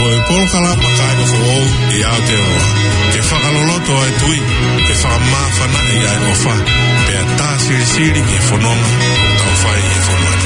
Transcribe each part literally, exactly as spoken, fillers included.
Ko e polokalama Kāinga Foʻou ʻi Aotearoa, ke fakaloloto ʻa e tui, ke fakamāfanaʻi ʻa e ʻofa, pea tā silisili ki he fononga ʻoku tau fai ʻi he fonua ni.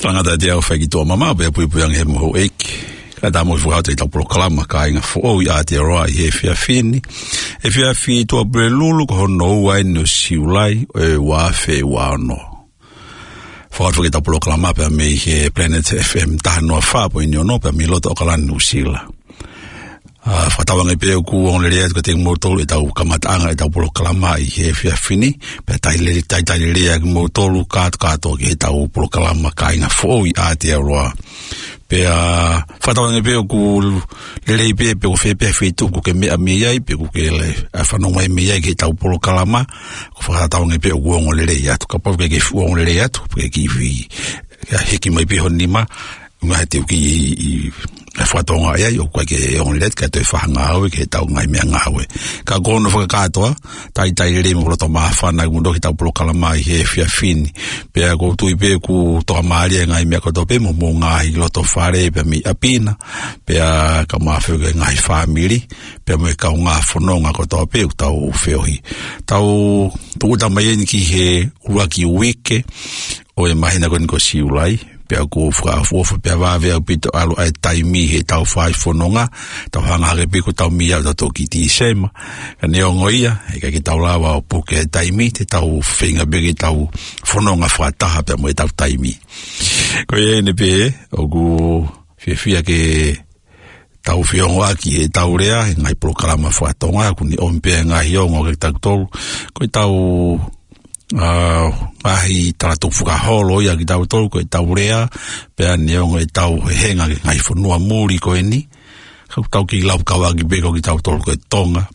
Talangata ʻa e ʻaho fai ki tuʻa mamaʻo pea puipui ange he moho ʻeiki. Kae ʻatā mo e fakaʻatā ʻetau polokalama Kāinga Foʻou ʻi Aotearoa ʻi he efiafi ni. Efiafi Tuʻapulelulu ko hono ua eni ʻo Siulai ʻo e ua afe ua ono. Fakaʻatā ʻetau polokalama pea mei he Planet F M taha noa fā poini ono pea mei loto ʻAokalani Nuʻusila. ʻA, fakatauange pē ʻoku ongo lelei atu kiate kimoutolu ʻetau kamataʻanga ʻetau polokalama ʻi he efiafi ni, pea talitali, talitali lelei ʻa kimoutolu kātoa kātoa ki heʻetau polokalama Kāinga Foʻou ʻi Aotearoa. Pea fakatauange pē ʻoku lelei pē, pe ko fē pē feituʻu ʻoku ke meʻa mei ai, pe ʻoku ke le, ʻa, fanongo mai mei ai ki heʻetau polokalama, ʻoku fakatauange pē ʻoku ongo lelei atu. Kapau ʻoku ʻikai ke fuʻu ongo lelei atu, pe ʻikai ke ifi, ʻa, hiki mai pē ho nima, ʻuhinga he te u kiʻi, ʻi, ʻi, ʻa, fakatonga ai, ʻoku ʻikai ke ongo lelei atu, kae toe fai ha ngāue ki heʻetau ngaahi meʻangāue. Ka ko hono fakakātoa, talitali lelei mo e loto māfana ʻoku mou ʻoatu ki heʻetau polokalama ʻi he efiafi ni. Pea ʻoku ou tui pē ʻoku tokamālie ʻa e ngaahi meʻa kotoa pē mo homou ngaahi loto fale pea mei ʻapi na, pea kae ʻumaʻā foki e ngaahi fāmili, pea mo e kaungā fononga kotoa pē ʻoku tau feohi. Tau tūʻuta mai eni ki he ʻuluaki uike ʻo e māhina ko eni ko Siulai, pea ʻoku ou fakaʻofoʻofa pea vave ʻaupito ʻalu ʻa e taimi heʻetau fai fononga, tau hanga hake pē ʻoku tau meʻa ʻo tau toki Tīsema. Ka neongo ia, ʻe ʻikai ke tau lava ʻo puke e taimi, te tau feinga pē ke tau fononga fakataha pea mo ʻetau taimi. Ko ia eni pē, ʻoku fiefia ke tau feongoʻaki ʻetau lea, he ngaahi polokalama fakatonga, ʻoku ne ʻomi pē ngaahi ongo kiate kitautolu. Ko ʻetau, ʻa, ngaahi talatupu fakaholo ia kiate kitautolu, ko ʻetau lea, pea neongo ʻetau hehenga ki he ngaahi fonua muli ko eni. Ka ʻoku tau kiʻi laukauʻaki pē ko kitautolu ko e Tonga.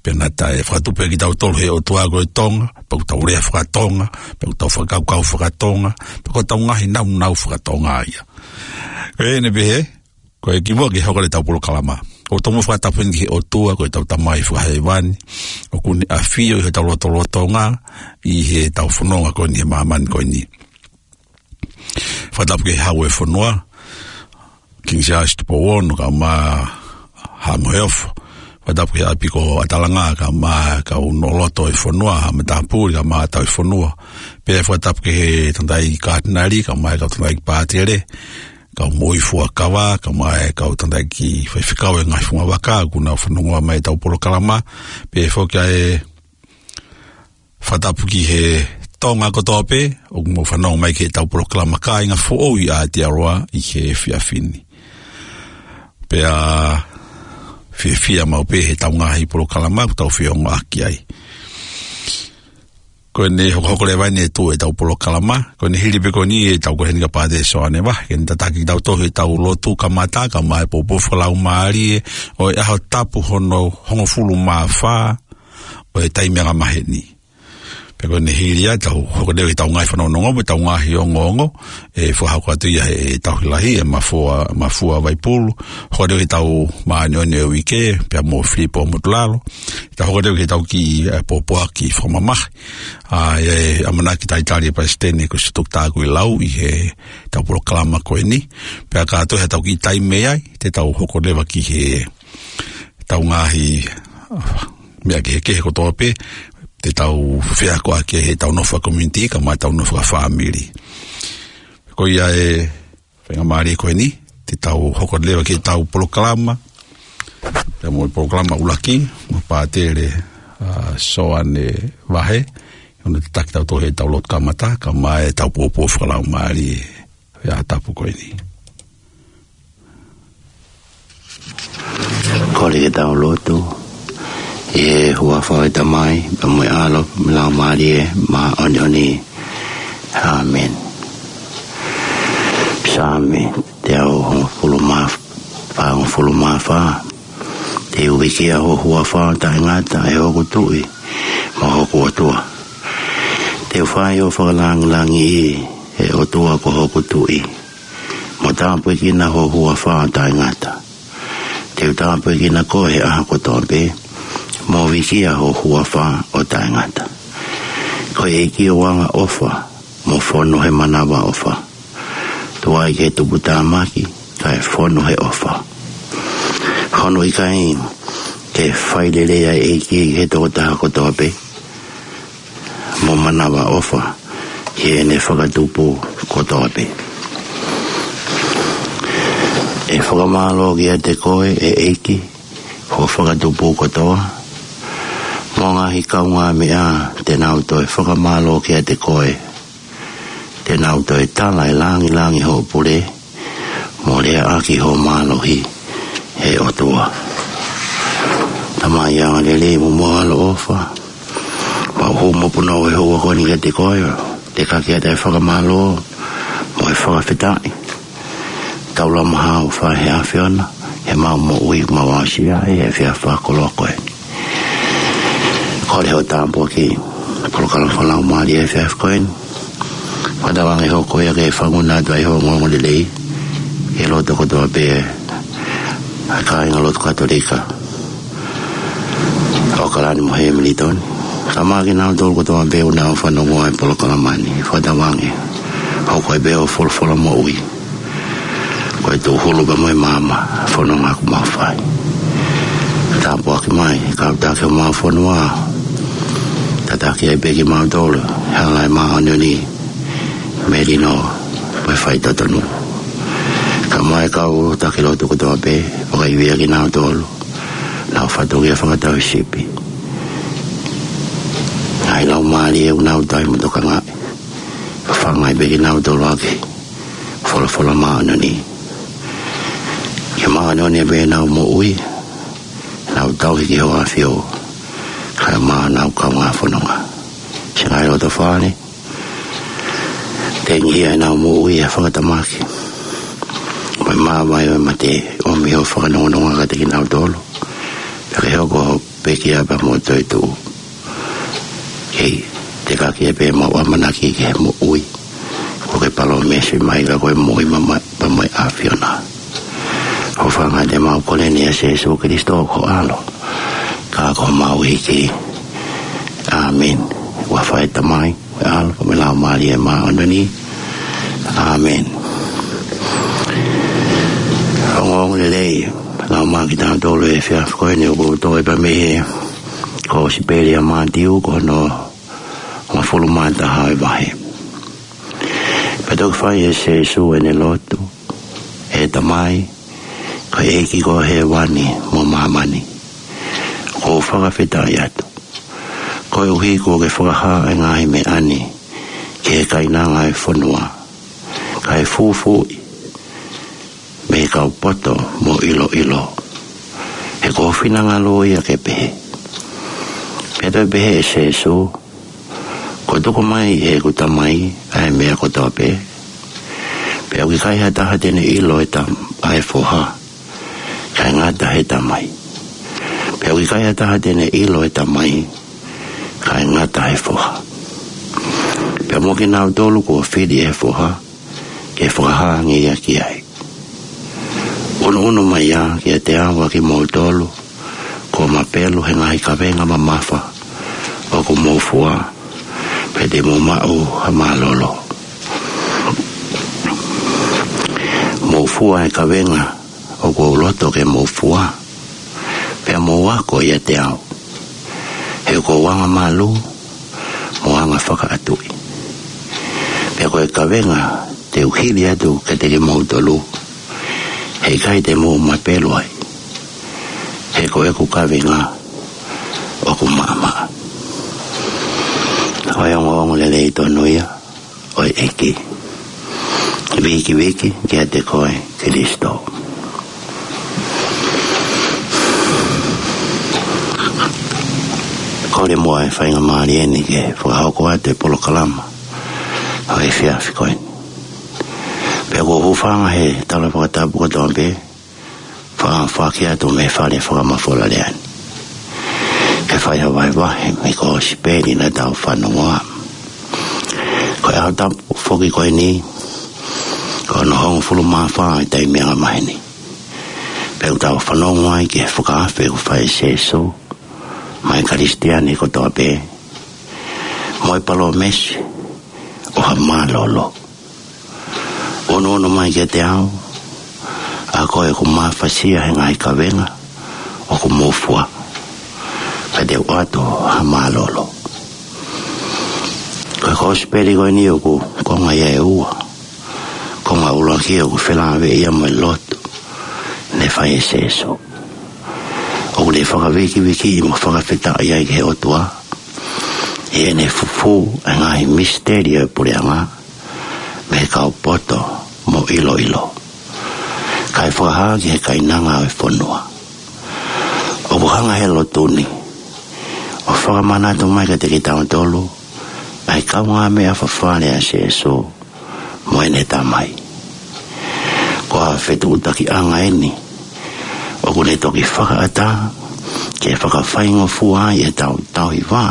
Pea naʻa tau fakatupu pē kitautolu he ʻOtua ko e Tonga, pea ʻoku tau lea fakatonga, pea ʻoku tau fakakaukau fakatonga, pea ko ʻetau ngaahi naunau fakatonga ia. Ko eni pē he, ko e kimuʻa ke hoko atu ʻetau polokalama, ʻoku tau mo fakatapu eni ki he ʻOtua, ko ʻetau Tamai Fakahēvani, ʻoku ne ʻafio ʻi hotau lotolotonga, ʻi heʻetau fononga ko eni he māmani ko eni. Fakatapu ki he Hau ʻo e fonua, King Siaosi Tupou Ono, kae ʻumaʻā Haʻa Moheofo, Fakatapu ki he ʻapi ko ʻAtalanga, kae ʻumaʻā e kau Noʻoloto ʻo e fonua, Haʻa Matāpule, kae ʻumaʻā e Tauhi Fonua. Pea fakatapu ki he tangataʻeiki Katinali, kae ʻumaʻā e kau tangataʻeiki Pātele, kau moʻui fuakava, kae ʻumaʻā e kau tangataʻeiki faifekau ʻo e ngaahi fungavaka, ʻoku nau fanongoa mai ʻetau polokalama. Pea foki ʻa e fakatapu ki he Tonga kotoa pē ʻoku mou fanongo mai ki heʻetau polokalama Kāinga Foʻou ʻi Aotearoa ʻi he efiafi ni. Pea fiefia maʻu pē heʻetau ngaahi polokalama ʻoku tau feongoʻaki ai. Ko ʻene hokohoko leva eni e tuʻu ʻetau polokalama. Ko ʻene hili pē ko eni ʻetau ko eni ka Pātele Soane Vahe, ke ne tataki kitautolu heʻetau lotu kamata, kae ʻumaʻā e pōpoaki fakalaumālie ʻo e ʻaho tapu hono hongofulu mā fā ʻo e taimi ʻa e maheni. Pea ko ʻene hili ia, tau hoko leva ki heʻetau ngaahi fanongonongo, mo ʻetau ngaahi ongoongo, ʻe fakahoko atu ia ʻe he tauhi lahi, ʻe Mafua, Mafua Vaipulu, hoko leva ki heʻetau māʻoniʻoni ʻo e uike, pea mo Filipo Motulalo, tau hoko leva ki heʻetau kiʻi, ʻa e pōpoaki fakamamahi, ʻa ia ʻe ʻamanaki talitali ʻe he Palesiteni ko Siaosi Toketā Kuilau ʻi heʻetau polokalama ko eni, pea ka toe ʻi ai haʻatau kiʻi taimi ai, te tau hoko leva ki he ʻetau ngaahi, ʻa, meʻa kehekehe kotoa pē, te tau feakoʻaki ʻi heʻetau nofo fakakomiunitī, kae ʻumaʻā ʻetau nofo fakafāmili. Ko ia e faingamālie ko eni, te tau hoko leva ki heʻetau polokalama, pea mo e polokalama ʻuluaki, mo Pātele, ʻa, Soane Vahe, ʻoku ne tataki kitautolu heʻetau lotu kamata, kae ʻumaʻā ʻetau pōpoaki fakalaumālie ʻo e ʻaho tapu ko eni. Kole ke tau lotu. ʻI he huafa ʻo e Tamai, pea mo e ʻAlo, mo e Laumālie Māʻoniʻoni. ʻĀmeni. Saame teau hongofulu mā fā, hongofulu mā fā. Te u vikia ho huafa ʻo taʻengata, ʻe hoku Tuʻi mo hoku ʻOtua. Te u fai ho fakalāngilangiʻi, ʻe ʻOtua ko hoku Tuʻi, mo tāpuekina ho huafa ʻo taʻengata. Te u tāpuekina koe he ʻaho kotoa pē, mo vikia ho huafa ʻo taʻengata. Ko e ʻEiki ʻoku angaʻofa, mo fonu he manavaʻofa. Tuai ke tuputāmaki, kae fonu he ʻofa. Hono ʻikai ke fai lelei ʻa e ʻEiki ki he tokotaha kotoa pē, mo manavaʻofa ki heʻene fakatupu kotoa pē. ʻE fakamālō kiate koe, ʻe ʻEiki, ho fakatupu kotoa, mo e ngaahi kaungāmeʻa te nau toe fakamālō kiate koe. Te nau toe tala e lāngilangi hoʻo pule, mo leaʻaki hoʻo mālohi, ʻe ʻOtua. Tamai angalelei mo moʻui ʻaloʻofa, mau hū mo punou he houa ko eni kiate koe, ʻo tekaki atu e fakamālō mo e fakafetaʻi. Taulama hao fai he ʻAfiona, he mau moʻui mau asia, he efiafi fakakoloa ko eni. Kole hoʻo tāpuaki polokalama fakalaumālie he efiafi ko eni. Fakatauange hoko ia ke fanguna atu ai ho ongoongolelei, he lotu kotoa pē ʻa e kāinga lotu Katolika ʻo ʻAokalani mo Hemilitoni. Kae ʻumaʻā kinautolu kotoa pē ʻoku nau fanongoa e polokalama ni. Fakatauange hoko ai pē ho folofola moʻui ko e tūhulu pea mo e maama fononga ʻoku mau fai. Tāpuaki mai kau taki ʻo mau fonua. Tataki ai pē kimautolu he hala ʻo e māʻoniʻoni, melino, mo e faitotonu. Kae ʻumaʻā e kau taki lotu kotoa pē, fakaivia kinautolu, nau fatongia fakatau sipi. Ngaahi laumālie ʻoku nau tauhi mo tokangaʻi, fafanga ai pē kinautolu ʻaki e folofola māʻoniʻoni. Ke māʻoniʻoni pē ʻenau moʻui, nau tauhi ki hoʻo ʻAfio, kae ʻumaʻā honau kaungā fononga. Siʻi ngaahi loto fale, tengihia ʻenau moʻui ʻi he fakatamaki, mo e māvae ʻo e mate, ʻomi hoʻo fakanongononga kiate kinautolu, pea ke hoko hoʻo pekia pea mo e toetuʻu. Kei tekaki ai pē ʻemau ʻamanaki ki he moʻui kuo ke palōmesi mai, ka ko e moʻui maʻa, pea mo e ʻAfiona. Hūfanga atu ʻemau kole ni ʻia Sīsū Kalaisi ko ho ʻAlo, ka ko homau ʻEiki. ʻĀmeni. Huafa ʻo e Tamai, mo e ʻAlo, mo e Laumālie Māʻoniʻoni. ʻĀmeni. Ongoongolelei, lau ʻOmai kitautolu he efiafi ko eni ʻoku tō ʻi he pea mei he Kōsipeli ʻa Mātiu ko hono hongofulu mā taha ʻo e vahe. Pea toki fai ʻe Sēsū ʻene lotu, ʻE Tamai, ko e ʻEiki ko hēvani mo māmani, ʻoku ou fakafetaʻi atu koeʻuhi kuo ke fakahā ʻa e ngaahi meʻa ni ki he kainanga ʻo e fonua, kae fūfuuʻi mei he kau poto mo ʻiloʻilo, he ko ho finangalo ia ke pehē. Pea toe pehē ʻe Sēsū, Kuo tuku mai ʻe heʻeku Tamai ʻa e meʻa kotoa pē, pea ʻoku ʻikai ha taha te ne ʻilo ʻa e Tam-, ʻa e Foha, kae ngata he Tamai. Pea ʻoku ʻikai ha taha te ne ʻilo ʻa e Tamai, kae ngata he Foha. Pea mo kinautolu kuo fili ʻe he Foha ke fakahā ange ia ki ai. ʻUnuʻunu mai ā kiate au ʻa kimoutolu kuo mapelu he ngaahi kavenga mamafa ʻoku mou fua, pea te mou maʻu ha mālōlō. Mou fua e kavenga ʻoku ou loto ke mou fua, pea mou ako ʻiate au, he ʻoku ou angamālū mo anga fakaʻatuʻi. Pea ko e kavenga te u hili atu kiate kimoutolu, he ʻikai te mou mapelu ai, he ko ʻeku kavenga ʻoku maʻamaʻa. Ko e ongoongolelei tonu ia ʻo e ʻEiki. Vīkiviki kiate koe Kalaisi. Kole muʻa e faingamālie ni ke fakahoko atu e polokalama ʻo e efiafi ko eni. Pea ʻoku ou hūfanga he tala fakatapu kotoa pē, fa-, foaki atu mei he fale fakamafola lea ni, ke fai ha vahevahe mei he Kōsipeli naʻa tau fanongoa. Ko e ʻaho tapu foki ko eni, ko hono hongofulu mā fā ʻo e taimi angamaheni. Pea ʻoku tau fanongo ai ki he fakaafe kuo fai ʻe Sēsū maʻa e Kalisitiane kotoa pē, mo e palōmesi ʻo ha mālōlō. ʻUnuʻunu mai kiate au ʻa koe ʻoku mafasia he ngaahi kavenga ʻoku mou fua, pea te u ʻoatu ha mālōlō. Ko e Kōsipeli ko eni ʻoku konga ia ʻe ua. Konga ʻuluaki ʻoku felāveʻi ia mo e lotu ne fai ʻe Sēsū, ʻoku ne fakavīkivikiʻi mo fakafetaʻi ai ki he ʻOtua ʻi heʻene fufū ʻa e ngaahi misiteli ʻo e puleʻanga mei he kau poto mo ʻiloʻilo, kae fakahā ki he kainanga ʻo e fonua. ʻOku hanga he lotu ni ʻo fakamanatu mai kiate kitautolu ʻa e kaungāmeʻa fafale ʻa Sēsū mo ʻene Tamai. Ko ha fetuʻutakiʻanga eni ʻoku ne toki fakaʻatā ke fakafaingofua ai ʻetau tauhi vā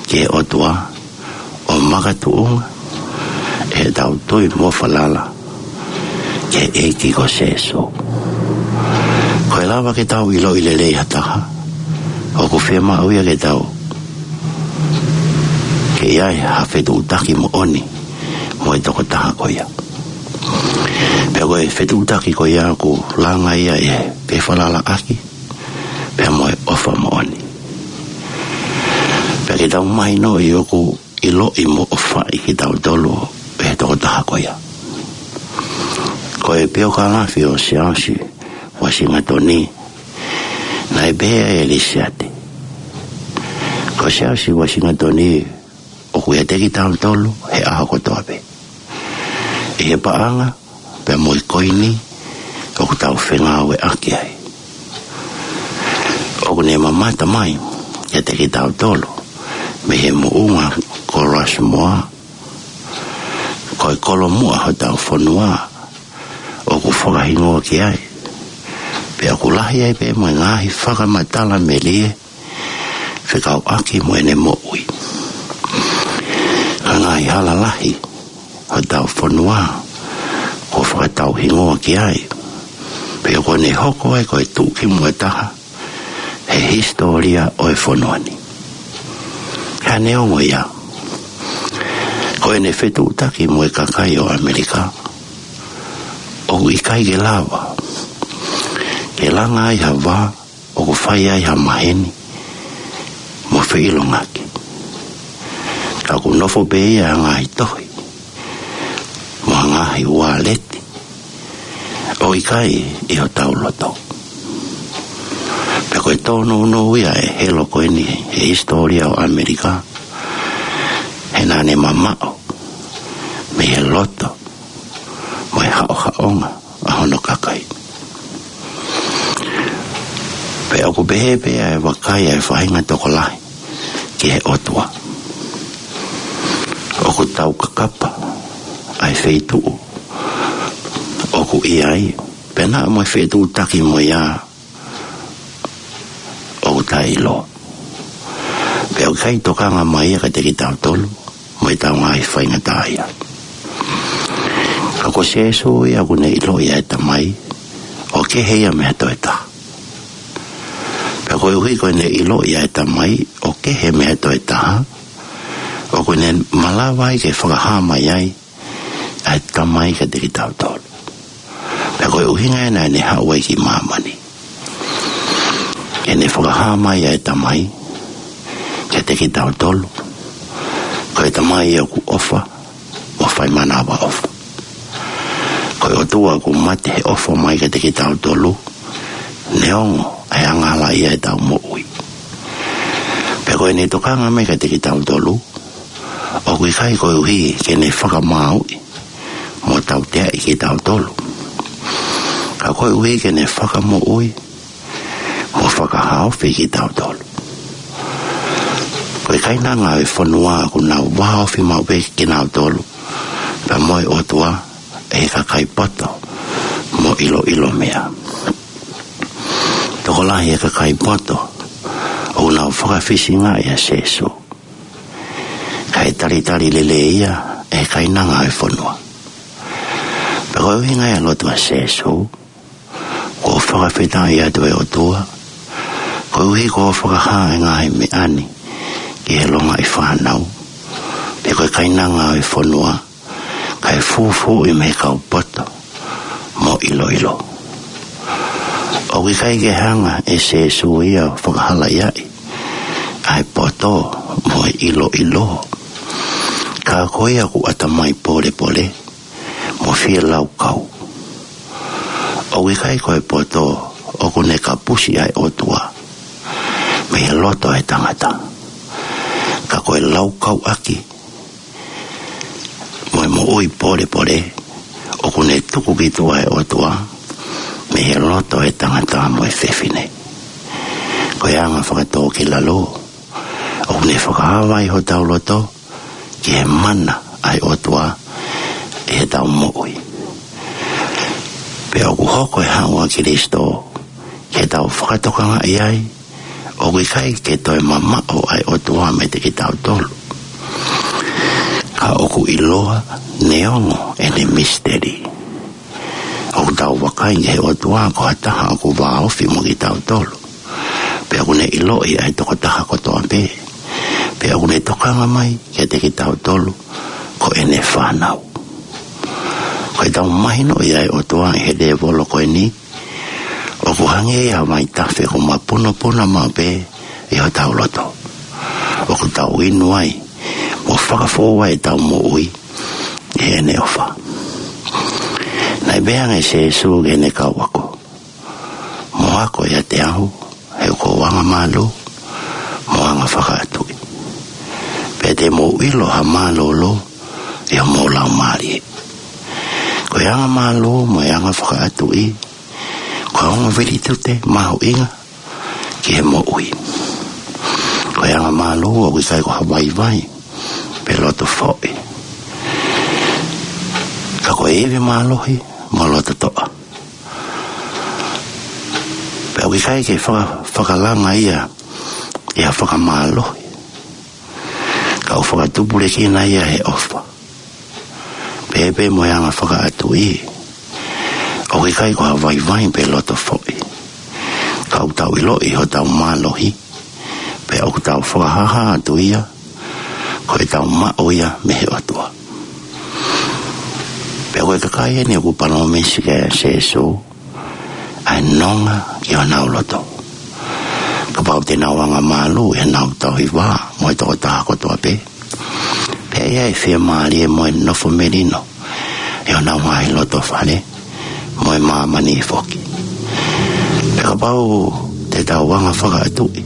ki he ʻOtua, ʻo makatuʻunga ʻetau tui mo falala ki he ʻEiki ko Sēsū. Ko e lava ke tau ʻiloʻi lelei ha taha, ʻoku fiemaʻu ia ke tau, ke ʻi ai ha fetuʻutaki moʻoni mo e tokotaha ko ia. Pea ko e fetuʻutaki ko ia ʻoku langa ia ʻe he fefalalaʻaki pea mo e ʻofa moʻoni. Pea ke tau mahinoʻi ʻoku ʻiloʻi mo ʻofaʻi kitautolu ʻe he tokotaha ko ia. Ko e piokalafi ʻo Siaosi Uasingatoni, naʻe pehē ʻe Lisiate: Ko Siaosi Uasingatoni ʻoku ʻiate kitautolu he ʻaho kotoa pē, ʻi he paʻanga pea mo e koini ʻoku tau fengāueʻaki ai. ʻOku ne mamata mai kiate kitautolu mei he moʻunga ko Rushmore, ko e kolomuʻa hotau fonua ʻoku fakahingoa ki ai. Pea ʻoku lahi ai pē mo e ngaahi fakamatala melie fekauʻaki mo ʻene moʻui. Ko e ngaahi hala lahi hotau fonua kuo fakatauhingoa ki ai, pea kuo ne hoko ai ko e tuʻukimuʻa taha he hisitōlia ʻo e fonua ni. Ka neongo ia, ko ʻene fetuʻutaki mo e kakai ʻo ʻAmelika, ʻoku ʻikai ke lava ke langa ai ha vā ʻoku fai ai ha maheni mo feʻilongaki. Ka ʻoku nofo pē ia ʻi he ngaahi tohi mo e ngaahi uāleti, ʻo ʻikai ʻi hotau loto. Pea ko e tōnounou ia ʻe he helo ko eni he hisitōlia ʻo ʻAmelika, he naʻa ne mamaʻo mei he loto mo e haʻohaʻonga ʻa hono kakai. Pea ʻoku pehē pē ʻa e vakai ʻa e faʻahinga tokolahi ki he ʻOtua. ʻOku taukakapa ʻa e feituʻu ʻoku ʻi ai, pea naʻa mo e fetuʻutaki mo ia ʻoku taʻeʻiloa. Pea ʻoku ʻikai tokanga mai ia kiate kitautolu mo ʻetau ngaahi faingataʻaʻia. Ka ko Sīsū ia ʻoku ne ʻiloʻi ʻa e Tamai ʻo kehe ia mei he toe taha. Pea koeʻuhi ko ʻene ʻiloʻi ʻa e Tamai ʻo kehe mei he toe taha, ʻoku ne malava ai ke fakahā mai ai ʻa e Tamai kiate kitautolu. Pea ko e ʻuhinga ia naʻa ne haʻu ai ki māmani, ke ne fakahā mai ʻa e Tamai kiate kitautolu. Ko e Tamai ʻoku ʻofa mo fai manavaʻofa. Ko e ʻOtua ʻoku mate he ʻofa mai kiate kitautolu, neongo ʻa e angahala ʻi heʻetau moʻui. Pea ko ʻene tokanga mai kiate kitautolu, ʻoku ʻikai koeʻuhi ke ne fakamāuʻi mo tauteaʻi kitautolu, ka koeʻuhi ke ne fakamoʻui mo fakahaofi kitautolu. Ko e kainanga ʻo e fonua ʻoku nau vāofi maʻu pē kinautolu pea mo e ʻOtua ʻe he kakai poto mo ʻiloʻilo meʻa. Tokolahi e kakai poto ʻoku nau fakafisingaʻi ʻa Sīsū, kae talitali lelei ia ʻe he kainanga ʻo e fonua. Pea ko e ʻuhinga ia e lotu ʻa Sīsū, ʻoku ou fakafetaʻi atu ʻe ʻOtua, koeʻuhi kuo u fakahā ʻa e ngaahi meʻa ni ki he longaʻi fānau, pe ko e kainanga ʻo e fonua, kae fūfuuʻi mei he kau poto mo ʻiloʻilo. ʻOku ʻikai ke hanga ʻe Sīsū ia ʻo fakahalaʻiaʻi ʻa e poto mo e ʻiloʻilo, ka ko ia ʻoku ʻatamai pōlepole mo fielaukau. ʻOku ʻikai ko e poto ʻoku ne kapusi ʻa e ʻOtua mei he loto ʻo e tangata, ka ko e laukauʻaki mo e moʻui pōlepole ʻoku ne tuku ki tuʻa ʻa e ʻOtua mei he loto ʻo e tangata mo e fefine. Ko e anga fakatōkilalo ʻoku ne fakaava ai hotau loto ki he mana ʻa e ʻOtua ʻi heʻetau moʻui. Pea ʻoku hoko e haʻu ʻa Kalaisi ke tau fakatokangaʻi ai, ʻoku ʻikai ke toe mamaʻo ʻa e ʻOtua meiate kitautolu, ka ʻoku ʻiloa neongo ʻene misiteli. ʻOku tau vakai ki he ʻOtua ko ha taha ʻoku vāofi mo kitautolu. Pea ʻoku ne ʻiloʻi ʻa e tokotaha kotoa pē. Pea ʻoku ne tokanga mai kiate kitautolu ko ʻene fānau. Ko ʻetau mahinoʻi ʻa e ʻOtua ʻi he lēvolo ko eni, ʻoku hangē ia ha vaitafe ʻoku mapunopuna maʻu pē ʻi hotau loto. ʻOku tau inu ai mo fakafou ai ʻetau moʻui ʻi heʻene ʻofa. Naʻe pehē ange ʻe Sīsū ki heʻene kau ako: Mou ako ʻiate au, he ʻoku ou angamālō mo anga fakaʻatuʻi. Pea te mou ʻilo ha mālōlō ʻi homou laumālie. Ko e angamālō mo e anga fakaʻatuʻi, ko e ongo vilitute mahuʻinga ki he moʻui. Ko e angamālō ʻoku ʻikai ko ha vaivai pe loto foʻi, ka ko e ivi mālohi mo loto toʻa. Pea ʻoku ʻikai ke faka-, fakalanga ia ʻi ha fakamālohi, ka ʻoku fakatupulekina ia he ʻofa, pehē pē mo e anga fakaʻatuʻi. ʻOku ʻikai ko ha vaivai pe loto foʻi, ka ʻoku tau ʻiloʻi hotau mālohi, pea ʻoku tau fakahāhā atu ia ko ʻetau maʻu ia mei he ʻOtua. Pea ko e kakai eni ʻoku palōmesi ki ai ʻa Sīsū, ʻa e nonga ki honau loto. Kapau te nau anga mālū ʻi heʻenau tauhi vā mo e tokotaha kotoa pē, pea ʻe ʻi ai e fiemālie mo e nofo melino ʻi honau ngaahi loto fale mo e māmani foki. Pea kapau te tau anga fakaʻatuʻi,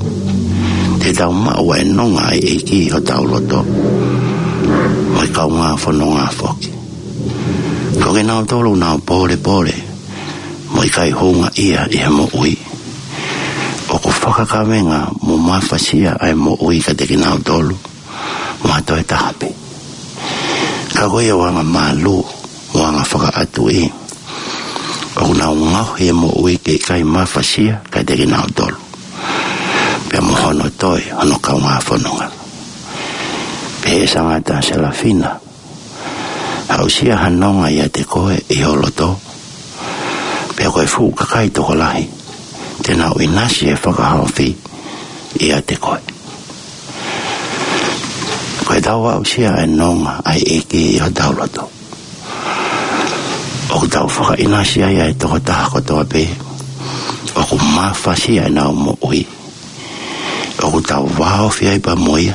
te tau maʻu ʻa e nonga ʻa e ʻEiki ʻi hotau loto mo e kaungā fononga foki. Ko kinautolu ʻoku nau pōlepole mo ʻikai houngaʻia ʻi he moʻui, ʻoku fakakavenga mo mafasia ʻa e moʻui kiate kinautolu mo ha toe taha pē. Ka ko ia ʻoku anga mālū mo anga fakaʻatuʻi, ʻoku nau ngaohi e moʻui ke ʻikai mafasia kiate kinautolu pea mo hono toe hono kaungā fononga. Pehē ʻe Sangata Selafina, aʻusia ha nonga ʻiate koe ʻi ho loto, pea ko e fuʻu kakai tokolahi te nau ʻinasi he fakahaofi ʻiate koe. Ko ʻetau aʻusia ʻa e nonga ʻa e ʻEiki ʻi hotau loto, ʻoku tau fakaʻinasi ai ʻa e tokotaha kotoa pē ʻoku mafasia ʻenau moʻui, ʻoku tau vāofi ai pea mo ia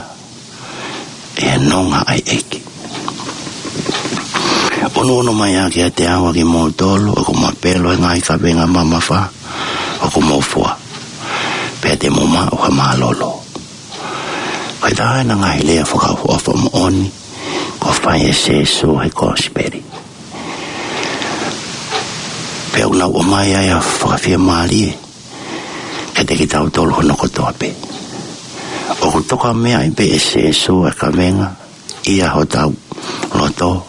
ʻi he nonga ʻa e ʻEiki. ʻUnuʻunu mai ā kiate au ʻa kimoutolu ʻoku mapelo he ngaahi kavenga mamafa ʻoku mou fua, pea te mou maʻu ha mālōlō. Ko e taha ʻena ngaahi lea fakaʻofoʻofa moʻoni kuo fai ʻe Sēsū he Kosipeli. Pea ʻoku nau ʻomai ai ʻa e fakafiemālie kiate kitautolu hono kotoa pē. ʻOku tokameaʻi pē ʻe Sēsū ʻa e kavenga ʻi hotau loto,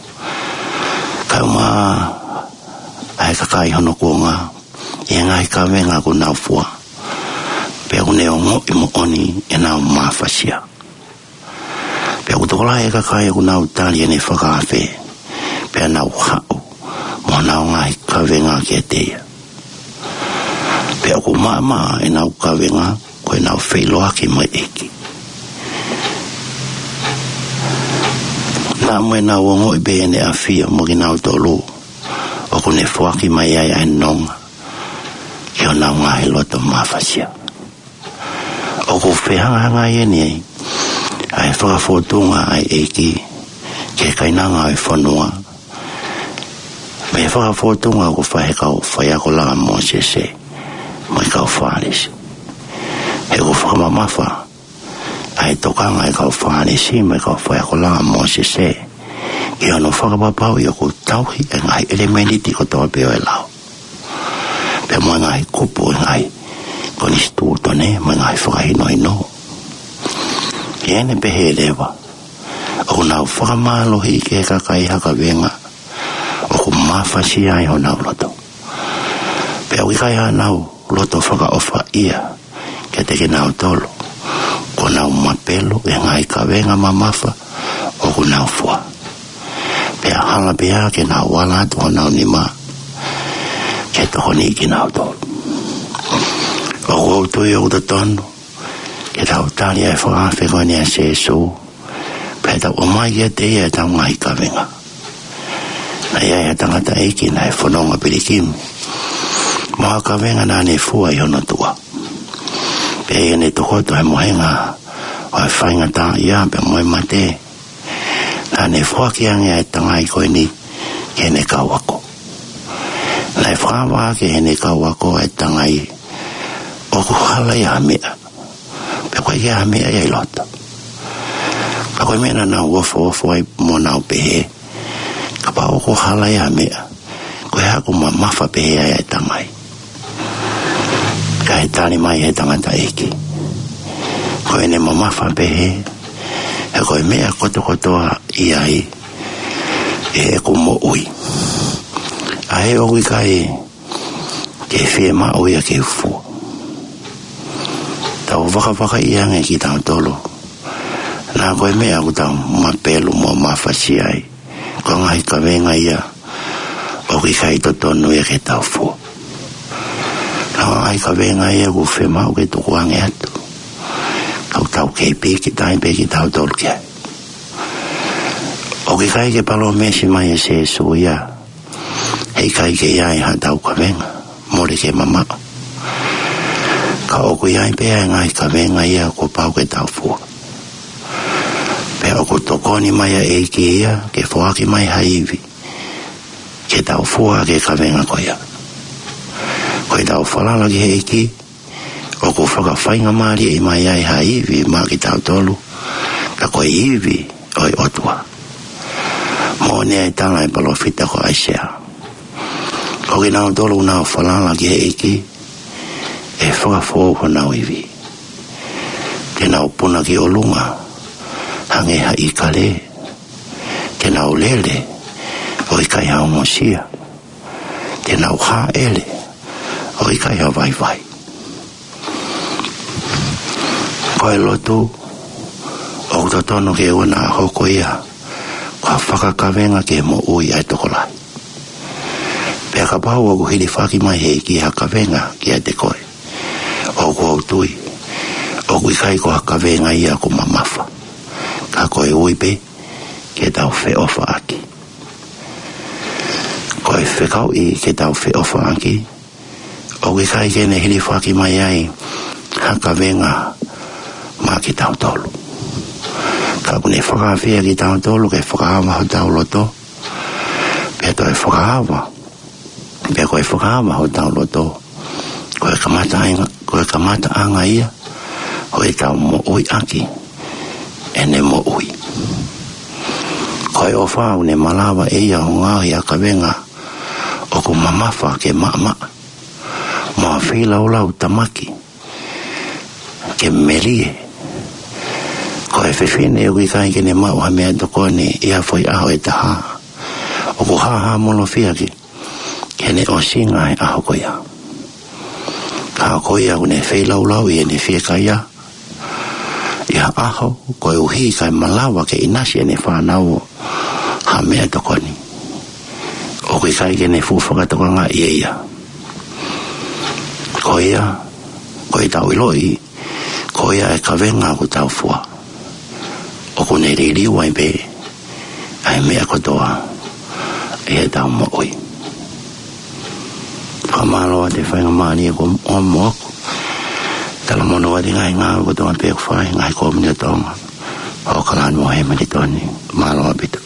kae ʻumaʻā ʻa e kakai hono kuonga, ʻi he ngaahi kavenga ʻoku nau fua, pea ʻoku ne ongoʻi moʻoni ʻenau mafasia. Pea ʻoku tokolahi e kakai ʻoku nau tali ʻene fakaafe, pea nau haʻu mo honau ngaahi kavenga kiate ia. Pea ʻoku maʻamaʻa ʻenau kavenga ko ʻenau feʻiloaki mo e ʻEiki. Naʻa mo ʻenau ongoʻi pē ʻene ʻafio mo kinautolu, ʻoku ne foaki mai ai ʻa e nonga ki honau ngaahi loto mafasia. ʻOku fehangahangai ʻeni ai ʻa e fakafōtunga ʻa e ʻEiki ki he kainanga ʻo e fonua mei he fakafōtunga ʻoku fai ʻe he kau faiako laʻā ʻa Mōsese mo e kau Fālesi. He ʻoku fakamamafa ʻa e tokanga ʻa e kau Fālesi mo e kau faiako laʻā ʻa Mōsese ki hono fakapapauʻi ʻoku tauhi e ngaahi ʻelemēniti kotoa pē ʻo e lao, pea mo e ngaahi kupu ʻo e ngaahi konisitūtone mo e ngaahi fakahinohino. ʻI heʻene pehē leva, ʻoku nau fakamālohiʻi ki he kakai ha kavenga ʻoku mafasia ai honau loto, pea ʻoku ʻikai haʻanau loto fakaʻofaʻia kiate kinautolu kuo nau mapelo he ngaahi kavenga mamafa ʻoku nau fua, pea hala pē ia ke nau ala atu honau nima ke tokoniʻi kinautolu. ʻOku ou tui ʻoku totonu ke tau tali ʻa e fakaafe ko eni ʻa Sēsū, pea tau ʻomai kiate ia ʻetau ngaahi kavenga. Naʻe ʻi ai ha tangataʻeiki naʻe fononga pilikimi mo ha kavenga naʻa ne fua ʻi hono tuʻa. Pea ʻi heʻene tokoto he mohenga ʻo e faingataʻaʻia pea mo e mate, naʻa ne foaki ange ʻa e tangai ko eni ki heʻene kau ako. Naʻe fakaava ʻaki ʻe heʻene kau ako ʻa e tangai ʻoku hala ia ha meʻa, pea ʻoku ʻikai ha meʻa ia ʻi loto. Ka ko e meʻa naʻa nau ofoofo ai mo nau pehē, kapau ʻoku hala ia ha meʻa, ko e hā ʻoku mamafa pehē ai ʻa e tangai? Kae tali mai ʻe he tangataʻeiki, ko ʻene mamafa pehē he ko e meʻa kotokotoa ʻi ai ʻeku moʻui, ʻa ē ʻoku ʻikai ke fiemaʻu ia ke u fua. Tau vakavakaiʻi ange kitautolu, naʻa ko e meʻa ʻoku tau mapelo mo mafasia ai, ko e ngaahi kavenga ia ʻoku ʻikai totonu ia ke tau fua. Naʻa ko e ngaahi kavenga ia ʻoku fiemaʻu ke tukuange atu, ka ʻoku tau kei pīkitai pē kitautolu ki ai. ʻOku ʻikai ke palōmesi mai ʻe Sēsū ia he ʻikai ke ʻi ai haʻatau kavenga mole ke mamaʻo. Ka ʻoku ʻi ai pē ʻa e ngaahi kavenga ia kuo pau ke tau fua. Pea ʻoku tokoni mai ʻa e ʻEiki ia ke foaki mai ha ivi ke tau fua ʻaki e kavenga ko ia. Ko ʻetau falala ki he ʻEiki, ʻoku fakafaingamālieʻi mai ai ha ivi maʻa kitautolu, ka ko e ivi ʻo e ʻOtua. Moʻoni ʻa e tala ʻa e palōfita ko ʻAisea. Ko kinautolu ʻoku nau falala ki he ʻEiki, ʻe fakafoʻou honau ivi. Te nau puna ki ʻolunga hangē ha ʻīkale. Te nau lele ʻo ʻikai ha ongosia. Te nau hāʻele ʻo ʻikai ha vaivai. Ko e lotu, ʻoku totonu ke ʻoua naʻa hoko ia ko ha fakakavenga ki he moʻui ʻa e tokolahi. Pea kapau ʻoku hilifaki mai he ʻEiki ha kavenga kiate koe, ʻoku ou tui ʻoku ʻikai ko ha kavenga ia ʻoku mamafa, ka ko e ui pē ke tau feʻofaʻaki. Ko e fekauʻi ke tau feʻofaʻaki, ʻoku ʻikai ke ne hilifaki mai ai ha kavenga maʻa kitautolu. Ka ʻoku ne fakaafeʻi kitautolu ke fakaava hotau loto, pea toe fakaava, pea ko e fakaava hotau loto, ko e kamataʻanga, ko e kamataʻanga ia ʻo ʻetau moʻui ʻaki ʻene moʻui. Ko e ʻofa ʻoku ne malava ʻe ia ʻo ngaohi ha kavenga ʻoku mamafa ke maʻamaʻa, mo ha feilaulau tamaki ke melie. Ko e fefine ʻoku ʻikai ke ne maʻu ha meʻatokoni ʻi ha foʻi ʻaho ʻe taha, ʻoku hāhāmolofia ki heʻene ʻosinga he ʻaho ko ia. Ka ko ia ʻoku ne feilaulauʻi ʻene fiekaia ʻi ha ʻaho, koeʻuhi kae malava ke ʻinasi ʻene fānau ha meʻatokoni, ʻoku ʻikai ke ne fuʻu fakatokangaʻi ʻe ia. Ko ia, ko ʻetau ʻiloʻi, ko ia e kavenga ʻoku tau fua, ʻoku ne liliu ai pē ʻa e meʻa kotoa ʻi heʻetau moʻui. Fakamālō atu e faingamālie kuo ʻomi moʻoku. Talamonū atu e ngaahi ngāue kotoa pē ʻoku fai, ngaahi kōmiti ʻo Tonga, ʻo Okalani mo Hemilitoni. Mālō ʻaupito.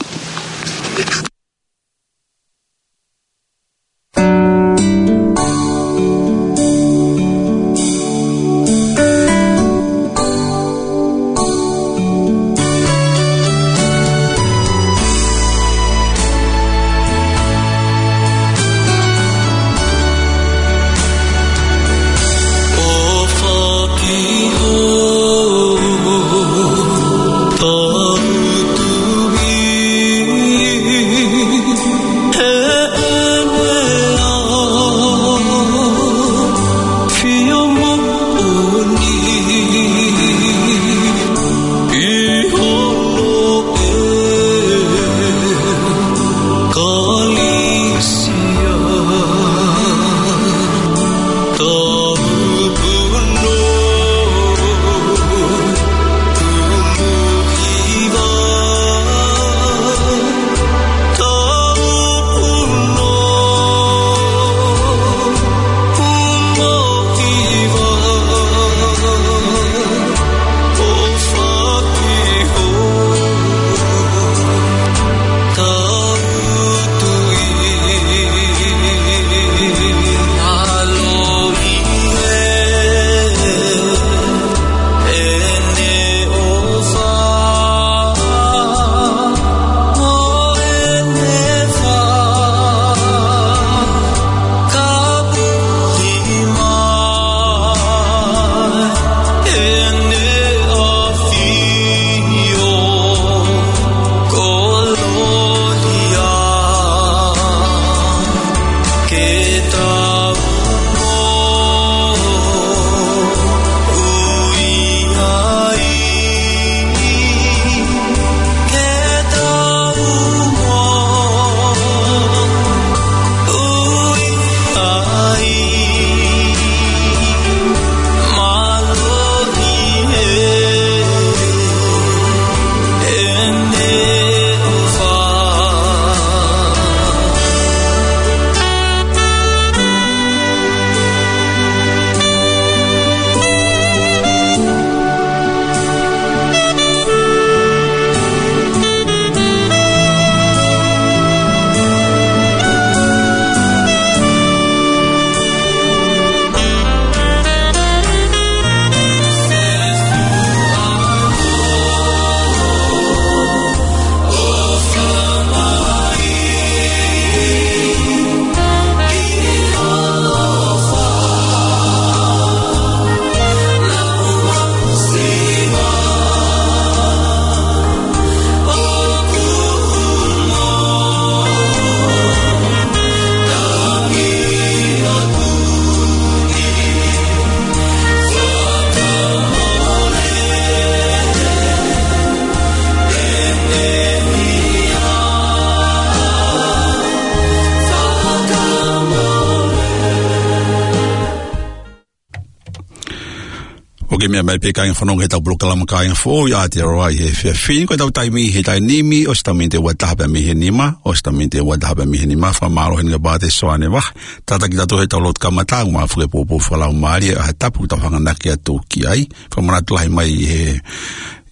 ʻIo, mai pē kāinga fanongo ki heʻetau polokalama Kāinga Foʻou ʻi Aotearoa ʻi he efiafi ni. Ko ʻetau taimi he taimi ni, ʻosi ʻetau miniti ʻe ua taha pē mei he nima, ʻosi ʻetau miniti ʻe ua taha pē mei he nima. Fakamālō heni kia Pātē Soane Vahe. Tataki tautolu heʻetau lotu kamata, ʻoku mau fakapoupou fakalaumālie ʻa e tapu ʻoku tau hanganaki atu ki ai. Fakamanatu lahi mai ʻi he,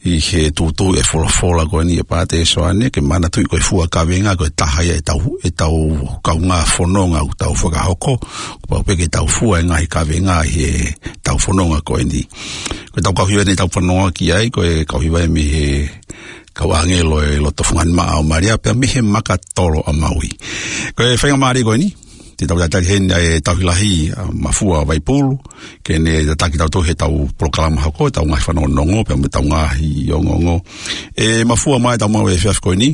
ʻi he tūtū e folofola ko eni ʻa Pātē Soane, ke manatuʻi ko e fua kavenga ko e taha ia ʻetau, ʻetau kaungā fononga ʻoku tau fakahoko. Kuo pau pē ke tau fua e ngaahi kavenga ʻi heʻetau fononga ko eni. Ko ʻetau kau hiva eni ʻetau fanongo ki ai, ko e kau hiva eni mei he kau ʻāngelo ʻo e loto fungani maʻa ʻo Malia, pea mei he Makatolo ʻa Maui. Ko e faingamālie ko eni, te tau tatali heni ʻa e tauhi lahi ʻa Mafua Vaipulu, ke ne tataki tautolu heʻetau polokalama hoko, ʻetau ngaahi fanongonongo, pea mo ʻetau ngaahi ongoongo. ʻE Mafua, mai ʻetau maʻu e efiafi ko eni.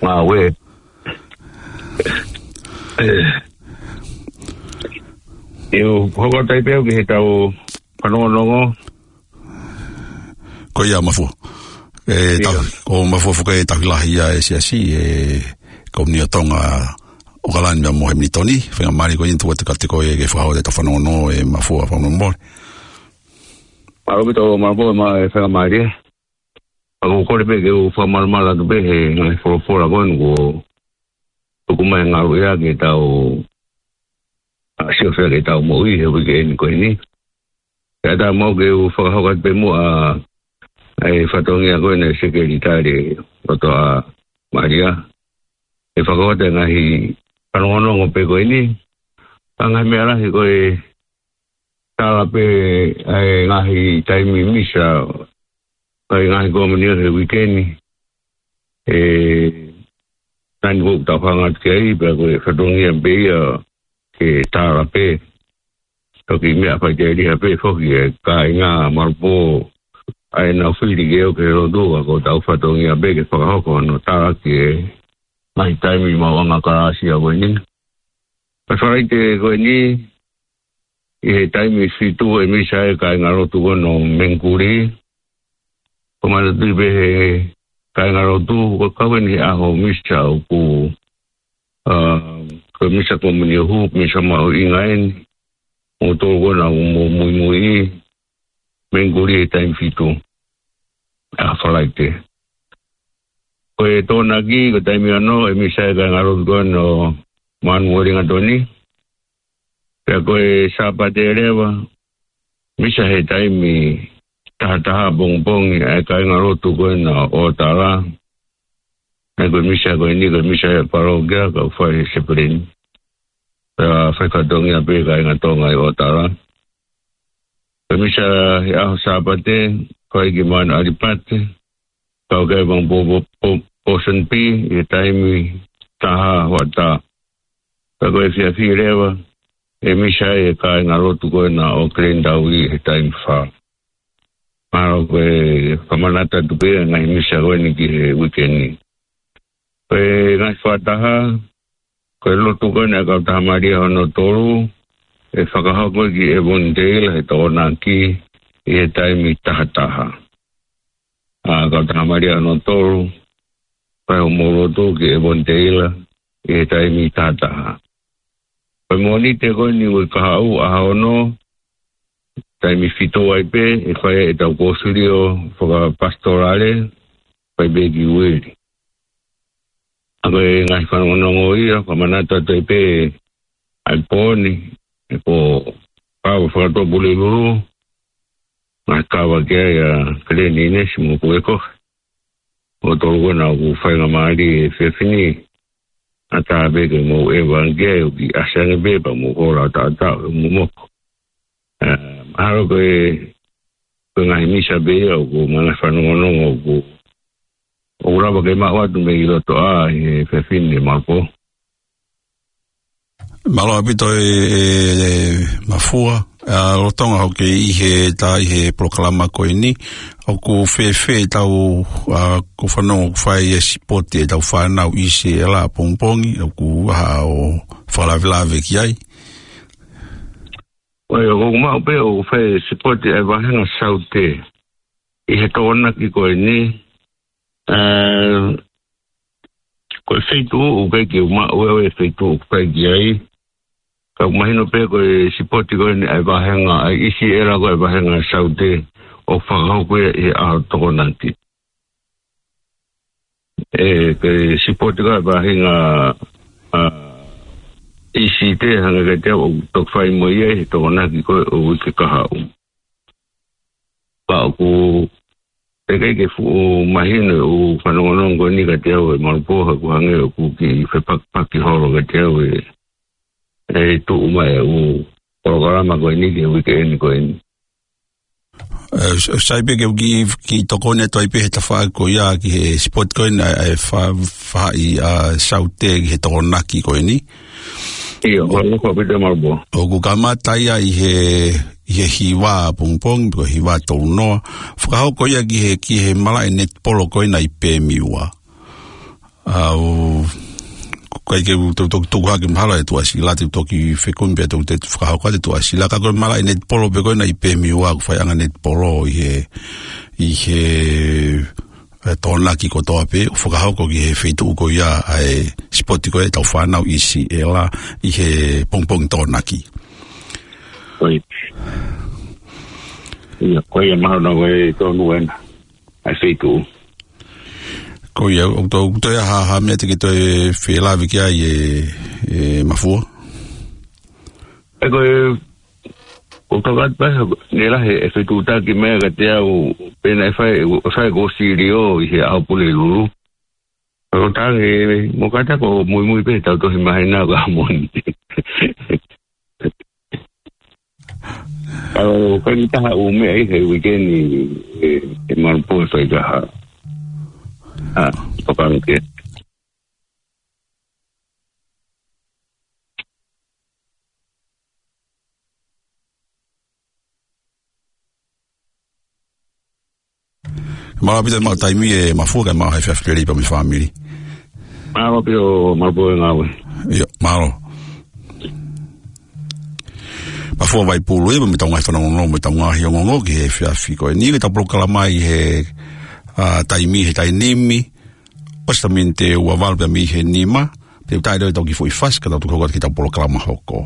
Ngāue. ʻE, ʻe u hoko atu ai pē au ki heʻetau fanongonongo. Ko ia Mafua. ʻE, ʻIo. Tau, ko Mafua Fuka e tauhi lahi ia ʻa e siasi, ʻe, Komiunitī ʻo Tonga ʻAokalani mo Hemilitoni, faingamālie ko eni tuku atu kiate koe ke fakahoko ʻetau fanongonongo ʻe Mafua, fakamolemole. Mālō ʻaupito Mafua, mo e faingamālie. ʻOku ou kole pē ke u fakamalumalu atu pē he ngaahi folofola ko eni kuo tuku mai ngalu ia ke tau, ʻa, siofia ke tau moʻui he uike eni ko eni. Pea ʻatā mo au ke u fakahoko atu pē muʻa ʻa e fatongia ko eni ʻa e Sekelitali ʻo e Loto ʻa Malia. ʻE fakahoko atu e ngaahi fanongonongo pē ko eni. Ka ngaahi meʻa lahi ko e tala pē ʻa e ngaahi taimi misa, ʻa e ngaahi komiunitī he uike ni. ʻE, taimi ko ē ʻoku tau hanga atu ki ai, pea ko e fatongia pē ia ke tala pē. Toki meʻa faiteliha pē foki e kāinga Malupō ʻa ʻenau fili ke ō ki he lotu, ka ko ʻetau fatongia pē ke fakahoko hono talaki e ngaahi taimi maʻuʻanga kalāsia ko eni. Pea Falaite ko eni, ʻi he taimi fitu ʻe misa e kāingalotu ko eni ʻo Mengikuli. Ko e manatuʻi pē he kāingalotu, ko e kau eni he ʻaho misa ʻoku, ʻa, ko e misa komiunitī, misa mahuʻinga eni. Mo tolu ko ena ʻoku mou muimui ʻi Mengikuli he taimi fitu ʻa Falaite. Ko e Tokonaki, ko e taimi ono, ʻe misa e kāingalotu ko eni ʻo Manuʻa Lingatoni. Pea ko e Sāpate leva, misa he taimi taha taha pongipongi ʻa e kāingalotu ko ena ʻo ʻOtala. Naʻe ko e misa ko eni, ko e misa ʻa e palokia, ka ʻoku fai he sepeleni. Pea fai fatongia pē kāinga Tonga ʻi ʻOtala. Ko e misa he ʻaho Sāpate, fai ki Manu ʻAlipate, kau ki ai Pōsonipī, ʻi he taimi taha hoʻatā. Pea ko e efiafi leva, ʻe misa e kāingalotu ko ena ʻo Kilenitaui he taimi fā. Mahalo ko e fakamanatu atu pē ngaahi misa ko eni ki he uike ni. Ko e ngaahi fakataha, ko e lotu ko ena ʻa e Kautaha Malia hono tolu, ʻe fakahoko ki Avondale he Tokonaki ʻi he taimi taha taha. ʻA e Kautaha Malia hono tolu, fai hoʻomou lotu ki Avondale ʻi he taimi taha taha. Ko e Mōnite ko eni uike kahaʻu ʻaho ono, taimi fitu ai pē, ʻe fai ʻetau kōsilio fakapasitolale, fai pē ki Ueli. ʻA ko e ngaahi fanongonongo ia, fakamanatu atu ai pē ʻa e pō ni, ʻe pō kava fakatōpulilulu, ngaahi kava ki ai ʻa Kaleni Inesi mo Kueko. Ko tolu ko ena ʻoku faingamālie he efiafi ni, ʻatā pē ke mou ʻeva ange ki ai ʻo kiʻi ʻasi ange pē pea mou hola ʻo taʻataʻo ʻo momoko. ʻE, mahalo ko e, ko e ngaahi misa pē ia ʻoku mou ngaahi fanongonongo ʻoku, ʻoku lava ke maʻu atu mei loto ʻa e efiafi ni Malupō. Mālō ʻaupito e, e, e Mafua, ʻa, lolotonga hoʻo kei ʻi he, ta ʻi he polokalama ko eni, ʻoku fēfē ʻetau, ʻa, ko e fanongo ʻoku fai e sipoti ʻetau fānau ʻi Sēlā pongipongi, ʻoku ʻi ai haʻo fakalavelave ki ai? ʻOi, ʻoku maʻu pē ʻoku fai e sipoti ʻa e vāhenga Saute ʻi he Tokonaki ko eni, ʻa, Ko e feituʻu ʻoku ʻikai ke u maʻu ʻe au e feituʻu ʻoku fai ki ai. Ka ʻoku mahino pē ko e sipoti ko eni ʻa e vāhenga, ʻa e ʻi Siʻela ko e vāhenga Saute ʻoku fakahoko ia ʻi he ʻaho Tokonaki. ʻE, ko e sipoti ko e vāhenga, ʻa, ʻi Site hangē kiate au ʻoku toki fai mo ia ʻi he Tokonaki ko e ʻo e uike kahaʻu. Ka ʻoku teʻeki ke fuʻu mahino e ʻū fanongonongo ko eni kiate au ʻe Malupō, he ʻoku hangē ʻoku kiʻi fepakipaki holo kiate au e, e tuʻu mai e ʻū polokalama ko eni ki he uike eni ko eni. ʻE, s-, sai pē ke u kiʻi, kiʻi tokoni atu ai pē he tafaʻaki ko ia ki he sipoti ko eni ʻa e, ʻa e fa-, faʻahi ʻa Saute ki he Tokonaki ko eni. ʻIo, mālō ʻaupito Malupō. ʻOku kamata ia ʻi he, ʻi he hiva pongipongi, pe ko e hiva tolu noa. Fakahoko ia ki he, ki he malaʻe netipolo ko ena ʻi Pemiua. ʻA, ʻoku ʻikai ke u to-, to-, toki hake mahalo e Tuʻasila, te u toki fekumi pē ʻe au te u fakahoko atu e Tuʻasila. Ka ko e malaʻe netipolo pē ko ena ʻi Pemiua, ʻoku faiʻanga netipolo ʻi he, ʻi he, e, Tokonaki kotoa pē, ʻo fakahoko ki he feituʻu ko ia ʻa e sipoti ko e ʻetau fānau ʻi Siʻela ʻi he pongipongi Tokonaki. Ko ia. ʻIo, ko ia mahalo ko e tonu ena ʻa e feituʻu. Ko ia, ʻoku toe, ʻoku toe ʻi ai ha, ha meʻa te ke toe felāveʻi ki ai ʻe, ʻe Mafua? ʻE ko e, ʻoku tau atu pē, ne lahi e fetuʻutaki meʻa kiate au, pea naʻe fai, ʻe fai ko Siliō ʻi he ʻaho Pulelulu. ʻO tangi, mo kata ko muimui pē tau tohi mahina ka moni. ʻOku ʻikai ke taha ʻū meʻa ʻi he uike ni ʻe, ʻe Malupō ʻe fai kaha. ʻA, tokanga ke. Mālō ʻaupito e maʻu taimi ʻe Mafua kae maʻu ha efiafi lelei pea mo e fāmili. Mālō ʻaupito Malupō e ngāue. ʻIo, mālō. Mafua Vaipulu ia, mo ʻetau ngaahi fanongonongo, mo ʻetau ngaahi ongoongo ki he efiafi ko eni, ke tau polokalama ʻi he, ʻa, taimi, he taimi ni, ʻosi e miniti ʻe ua valu pea mei he nima, te u taʻe leo ʻetau kiʻi foʻi fasi, ka tau toki hoko atu ki heʻetau polokalama hoko.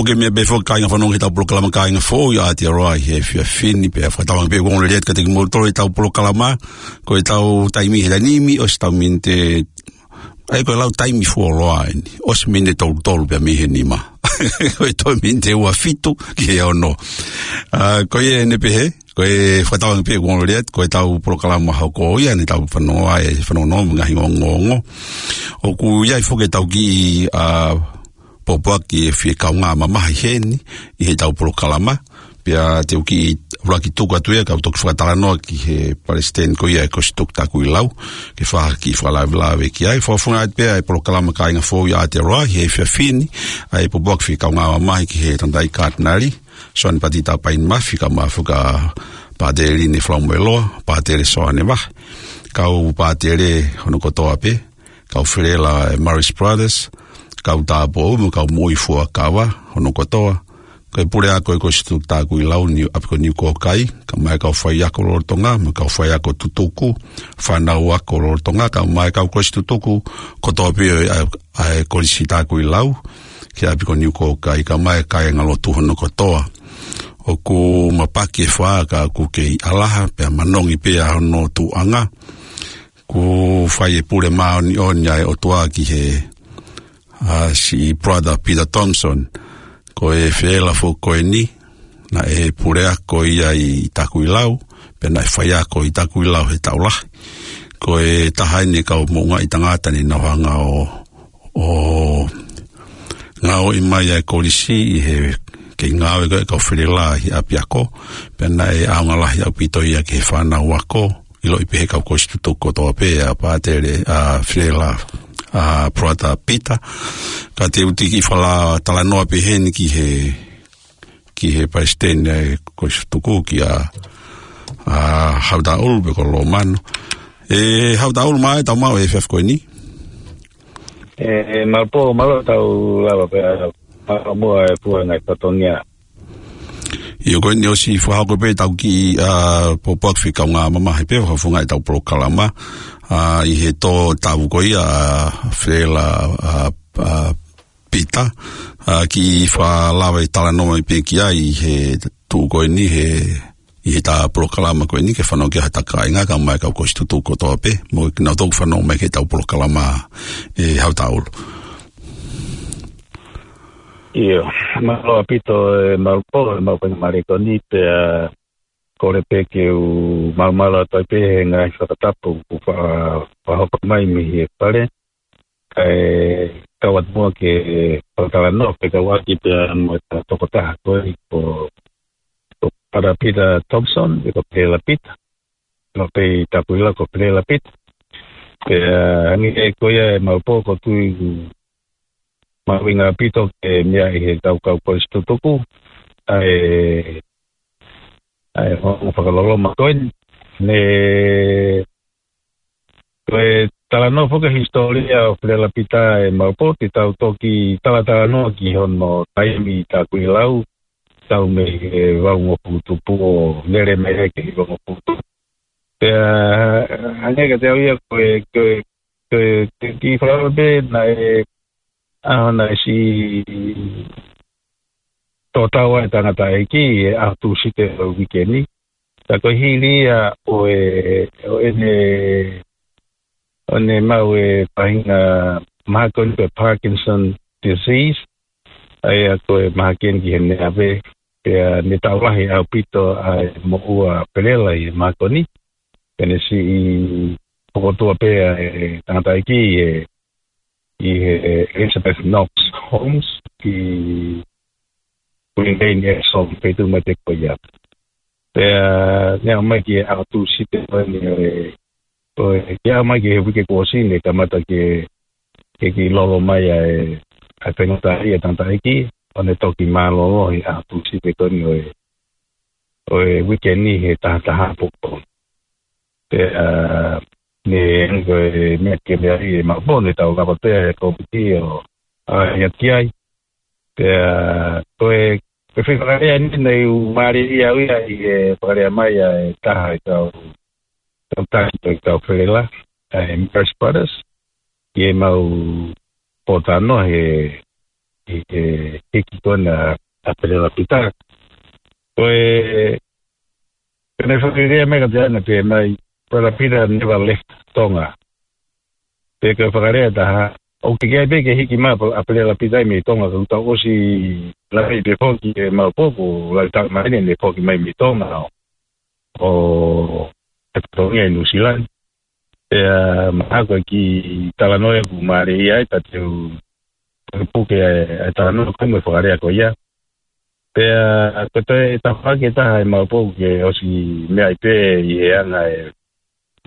ʻOku ke meʻa pē foki kāinga fanongo ki heʻetau polokalama Kāinga Foʻou ʻi ʻAotearoa ʻi he efiafi ni, pea fakatauange pē ʻoku ongoongolelei atu kiate kimoutolu ʻetau polokalama, ko ʻetau taimi he taimi ni, ʻosi ʻetau miniti, ʻa ia ko e lau taimi fuoloa eni, ʻosi miniti tolu tolu pea mei he nima. Ko e toe miniti ua fitu ki he ono. ʻA, ko ia ʻeni pē he, ko e fakatauange pē ʻoku ongoongolelei atu, ko ʻetau polokalama hoko ia ʻeni ʻetau fanongo ai, fanongo mo e ngaahi ongoongo. ʻOku ʻi ai foki ʻetau kiʻi, ʻa, pōpoaki ʻe fie kaungā mamahi heni ʻi heʻetau polokalama. Pea te u kiʻi ʻuluaki tuku atu ia kau toki fakatalanoa ki he palesiteni ko ia ʻo e Kolisi Tuku Takuilau, ke fai ha kiʻi fakalavelave ki ai. Fakafofonga atu pē ʻa e polokalama Kāinga Foʻou ʻi ʻAotearoa ʻi he efiafi ni, ʻa e pōpoaki fie kaungā mamahi ki he tangataʻeiki Katinali Soane Patita Paini Mafi, kae ʻumaʻā foki ʻa Pātele Line Falamoeloa, Pātele Soane Vahe, kau pātele hono kotoa pē, kau felela ʻa e Marist Brothers, kau tāupoʻou mo e kau moʻui fuakava hono kotoa. Ko e puleako ʻo e Kolisi Tuku Takuilau ʻi ʻapi ko Niukōkai, kae ʻumaʻā e kau faiako lolotonga, mo e kau faiako tutuku, fānau ako lolotonga, kae ʻumaʻā e kau kolisi tutuku kotoa pē ʻo e, ʻa e, ʻa e Kolisi Takuilau ki ʻapi ko Niukōkai, kae ʻumaʻā e kāingalotu hono kotoa. ʻOku mapaki e fā ka ʻoku kei ʻalaha, pea manongi pē ʻa hono tuʻuʻanga. ʻOku fai e pule māʻoniʻoni ʻa e ʻOtua ki he, ʻa, siʻi Brother Peter Thompson. Ko e felela foki ko eni, naʻe puleako ia ʻi Takuilau, pea naʻe faiako ʻi Takuilau he taʻu lahi. Ko e taha ʻeni e kau moʻungaʻi tangata naʻa nau hanga ʻo, ʻo ngāueʻi mai ʻa e kolisi ʻi he kei ngāue ko ē ʻa e kau felela ʻi he ʻapiako, pea naʻe ʻaonga lahi ʻaupito ia ki he fānau ako, ʻiloʻi pē he kau kolisi tutuku kotoa pē ʻa Pātele, ʻa, felela, ʻa, Brother Peter. Ka te u kiʻi fakatalanoa pē heni ki he, ki he palesiteni ʻo e Kolisi Tuku, kia, ʻa, Hautaulu pe ko Lomano. ʻE Hautaulu, mālō e tau maʻu e efiafi ko eni. ʻE, ʻe, Malupō, mālō e tau lava pē, ʻa, mālō muʻa e puha ngaahi fatongia. ʻIo, ko eni ʻosi fakahoko pē ʻetau kiʻi, ʻa, pōpoaki fie kaungā mamahi pē, fakafofonga ʻetau polokalama, ʻa, ʻi he tō taʻu ko ia, ʻa, felela, ʻa, ʻa, Peter, ʻa, kiʻi fakalava e talanoa mai pē ki ai ʻi he tuʻu ko eni he, ʻi heʻetau polokalama ko eni ke fanongo ki ai hota kāinga kae ʻumaʻā e kau kolisi tutuku kotoa pē, mo kinautolu ʻoku fanongo mai ki heʻetau polokalama, ʻe Hautaulu. ʻIo, mālō ʻaupito e Malupō, e mau faingamālie ko eni pea kole pē ke u malumalu atu ai pē he ngaahi fakatapu kuo fa-, fakahoko mai mei he fale. Kae kau atu muʻa ke fakatalanoa pē kau ʻaki pea mo e tokotaha ko ē ko, ko Brother Peter Thompson, pe ko Felela Peter. Naʻe pē ʻi Takuilau ko Felela Peter. Pea, ʻa, hangē ko ia e Malupō, ʻoku ou tui ʻoku mahuʻinga ʻaupito ke meaʻi ʻe he kau, kau kolisi tutuku ʻa e, ʻa e ongo fakaloloma ko eni. Ne, ko e talanoa foki e hisitōlia ʻo Felela Peter, e Malupō, te tau toki talatalanoa ki hono taimi ʻi Takuilau, tau mei he valungofulu tupu ʻo lele mai ai ki he hivangofulu tupu. Pea, hangē kiate au ia ko e, ko e, ko e, ko e kiʻi fakaʻamu pē naʻe, ʻa, naʻe siʻi tō tau ai e tangataʻeiki he ʻaho Tūsite ʻo e uike ni. Ka ko e hili ia ʻo e, ʻo ʻene, ʻo ʻene maʻu e faʻahinga mahaki ko eni ko e Parkinson disease, ʻa ia ko e mahaki eni ki heʻene ʻave, pea ne taʻu lahi ʻaupito ʻa e moʻua ʻa Felela ʻi he mahaki ko eni, pea ne siʻi fokotuʻu pē ʻa e tangataʻeiki ʻi he, ʻi he Elizabeth Knox Homes ki Green Lane, Epsom, feituʻu mai pē ko ia. Pea, ne aʻu mai ki he ʻaho Tūsite ko eni ʻo e, ʻo e, ke aʻu mai ki he uike kuo ʻosi ne kamata ke, ke kiʻi lolo mai ʻa e, ʻa e faingataʻaʻia e tangataʻeiki, ʻo ne toki mālōlō he ʻaho Tūsite ko eni ʻo e, ʻo e uike ni he taha taha ʻapongipongi. Pea, ʻa, ne, ko e meʻa ke meaʻi e Malupō, ne tau lava pē ʻa e kōmiti ʻo, ʻa, ʻi ʻaki ai. Pea, ko e, ko e foʻi fakalea ni naʻe u mālieʻia au ia ʻi he fakalea mai ʻa e taha e kau, kau taki ʻo e kau felela, ʻa e Marist Brothers, ʻi heʻemau pōtalanoa he, ʻi he hiki ko ena ʻa Felelapita. Ko e, ko ʻene fakalea mai ka te ana pē mai, Felelapita never left Tonga. Pea ko e fakalea ʻe taha, ʻoku teʻeki ai pē ke hiki mai ʻa Felelapita mei Tonga, ka ʻoku tau ʻosi lave pē foki ʻe Malupoku, ʻoku lave taʻu mai ʻene foki mai mei Tonga ʻo, ʻo faifatongia ʻi Nuʻusila ni. Pea mahalo ko e kiʻi talanoa ʻoku mālie ai, ka te u pukepuke ʻa e, ʻa e talanoa ko ē mo e fakalea ko ia. Pea ko e toe tafaʻaki ʻe taha ʻe Malupoku ke ʻosi meʻa ai pē ʻi he anga ē,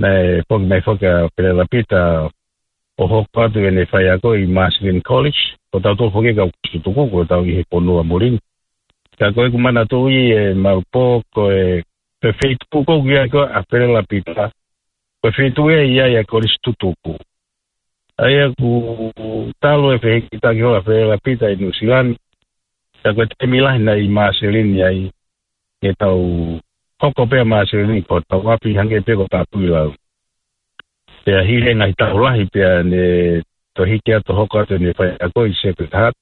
naʻe foki mai foki ʻa Felelapita ʻo hoko atu ʻene faiako ʻi Marshland College, ko tautolu foki kau Kolisi Tutuku, ko tau ʻi he fonua muli ni. Ka ko ʻeku manatuʻi ʻe Malupoku ko e, ko e feituʻu ko ē ʻoku ʻi ai ko ē ʻa Felelapita, ko e feituʻu ia ʻi ai ʻa e Kolisi Tutuku. ʻA ia ʻoku talu e fehikitaki holo ʻa Felelapita ʻi Nuʻusila ni, ka ko e taimi lahi naʻe ʻi Marshland ai, ke tau hoko pē ʻa Marshland ko hotau ʻapi hangē pē ko Tapuilau. Pea hili e ngaahi taʻu lahi pea ne toe hiki atu hoko atu ʻene faiako ʻi Sacred Heart.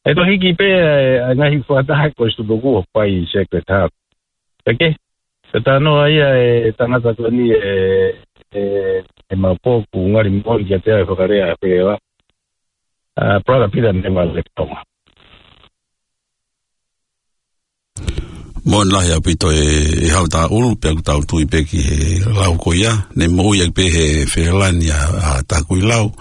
ʻE toe hiki pē ʻa e, ʻa e ngaahi fakataha ʻa e Kolisi Tutuku ʻo fai ʻi Sacred Heart. Pea ke, ko e talanoa ia ʻa e tangata ko eni ʻe, ʻe, ʻe Malupoku, ngali moʻoni kiate au e fakalea ʻa Felela. ʻA, Brother Peter never left Tonga. Moʻoni lahi ʻaupito ē, ʻe Hautaʻulu, pea ʻoku tau tui pē ki he lau ko ia, ne moʻui ʻaki pē ʻe Felelapita ʻa, ʻa Tapuilau,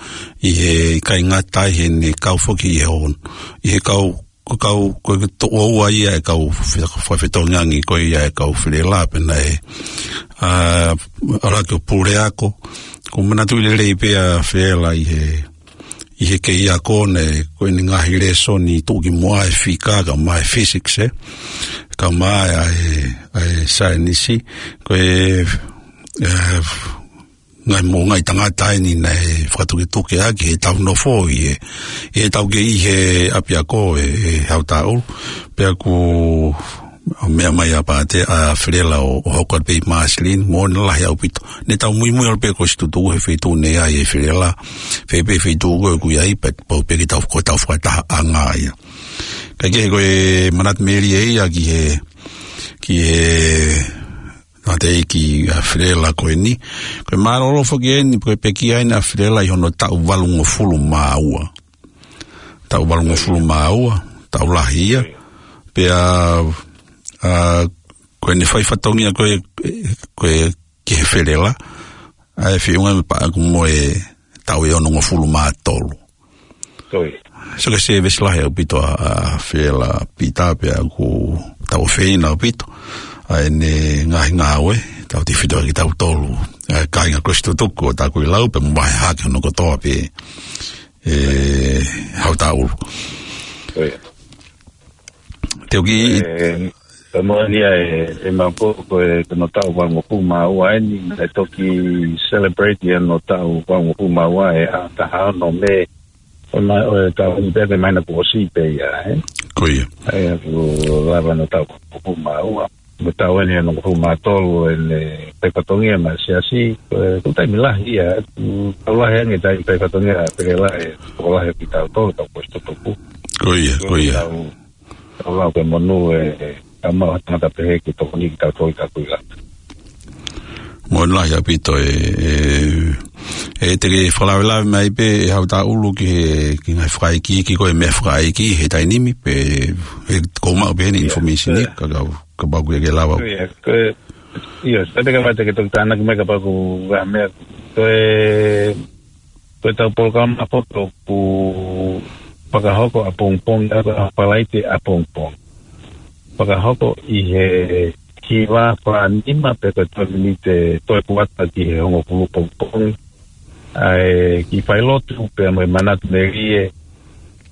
ʻi he ʻikai ngata ai heʻene kau foki ʻi he on, ʻi he kau, ko e kau, ko e toʻo ua ia ʻa e kau fe-, fefetongi angi ko ia ʻa e kau Felela pea naʻe, ʻa, ʻalu hake ʻo puleako, ʻoku ou manatuʻi lelei pē ʻa Felela ʻi he ʻi he kei ako naʻe, ko ʻene ngaahi lēsoni tuʻukimuʻa ʻa e fika, kae ʻumaʻā e physics, ē. Kae ʻumaʻā ʻa e, ʻa e saienisi, ko e, ʻe, ngaahi mo-, ngaahi tangata eni naʻe fakatukituki ʻaki heʻetau nofo ʻi he, ʻi heʻetau kei ʻi he ʻapiako ē, ʻe Hautaʻulu. Pea ʻoku ʻo meʻa mai ʻa Pātea, ʻa Felela ʻo, ʻo hoko atu pē ʻi Marshland, moʻoni lahi ʻaupito. Ne tau muimui ʻalu pē Kolisi Tutuku he feituʻu naʻe ʻi ai ʻa Felela. Fē pē feituʻu ko ē ʻoku ʻi ai, pea pau pē ke tau, ko ʻetau fakatahaʻanga ia. Kae kehe ko e manatu melie ia ki he, ki he, naʻe teʻeki ʻa Felela ko eni. Ko e mālōlō foki eni, ko e pekia eni ʻa Felela ʻi hono taʻu valungofulu mā ua. Taʻu valungofulu mā ua, taʻu lahi ia. Pea, ʻa, ko ʻene fai fatongia ko ē, ko ē ki he Felela, ʻa e feʻunga mo e paʻaku mo e taʻu ʻe onongofulu mā tolu. Ko ia. So ko e sēvesi lahi ʻaupito ʻa, ʻa Felelapita pea ʻoku tau ʻofeina ʻaupito ʻa ʻene ngaahi ngāue, tautefito kiate kitautolu, ʻa e kāinga Kolisi Tutuku ʻo Tapuilau pea mo e hake hono kotoa pē ʻe Hautaʻulu. Ko ia. Te u kiʻi, ʻE, ka moʻoni ia ʻe, ʻe Malupoku ko e, ko hono taʻu valungofulu mā ua eni, ʻe toki celebrate ia hono taʻu valungofulu mā ua ʻi he ʻaho taha ono Mē, ʻo e ma-, ʻo e taʻu ni pē, ko e māhina kuo ʻosi pē ia, ē? Ko ia. ʻA ia ʻoku lava hono taʻu valungofulu mā ua. Mo e taʻu eni ʻe onongofulu mā tolu ʻene fai fatongia maʻa e siasi, ko e, ko e taimi lahi ia, ʻoku tau lahi ange taimi fai fatongia ʻa Felela ʻe tokolahi ʻo kitautolu, kau Kolisi Tutuku. Ko ia, ko ia. Tau, tau lau ko e monū ē, ʻe, ʻa mau ha tangata pehē ke tokoni kitautolu ʻi Tapuilau. Moʻoni lahi ʻaupito ē, ē, ʻe te ke fakalavelave mai pē ʻe Hautaʻulu ki he, ki he ngaahi fakaikiiki ko ē, meʻa fakaiki he taimi ni, pea ʻe, ʻe kou maʻu pē eni, ʻIo, information ʻi, ʻio. Ka, ka, kapau ʻoku ke lava. ʻIo, ko e, ʻio, sai pē kapau te ke toki tānaki mai kapau ʻoku ʻi ai ha meʻa. Ko e, ko ʻetau polokalama foki ʻoku fakahoko ʻapongipongi, ʻa, ʻa Falaite ʻapongipongi. Fakahoko ʻi he hiva fā nima pe ko e tolu miniti toe kuata ki he hongofulu pongipongi. ʻA e kiʻi failotu pea mo e manatu melie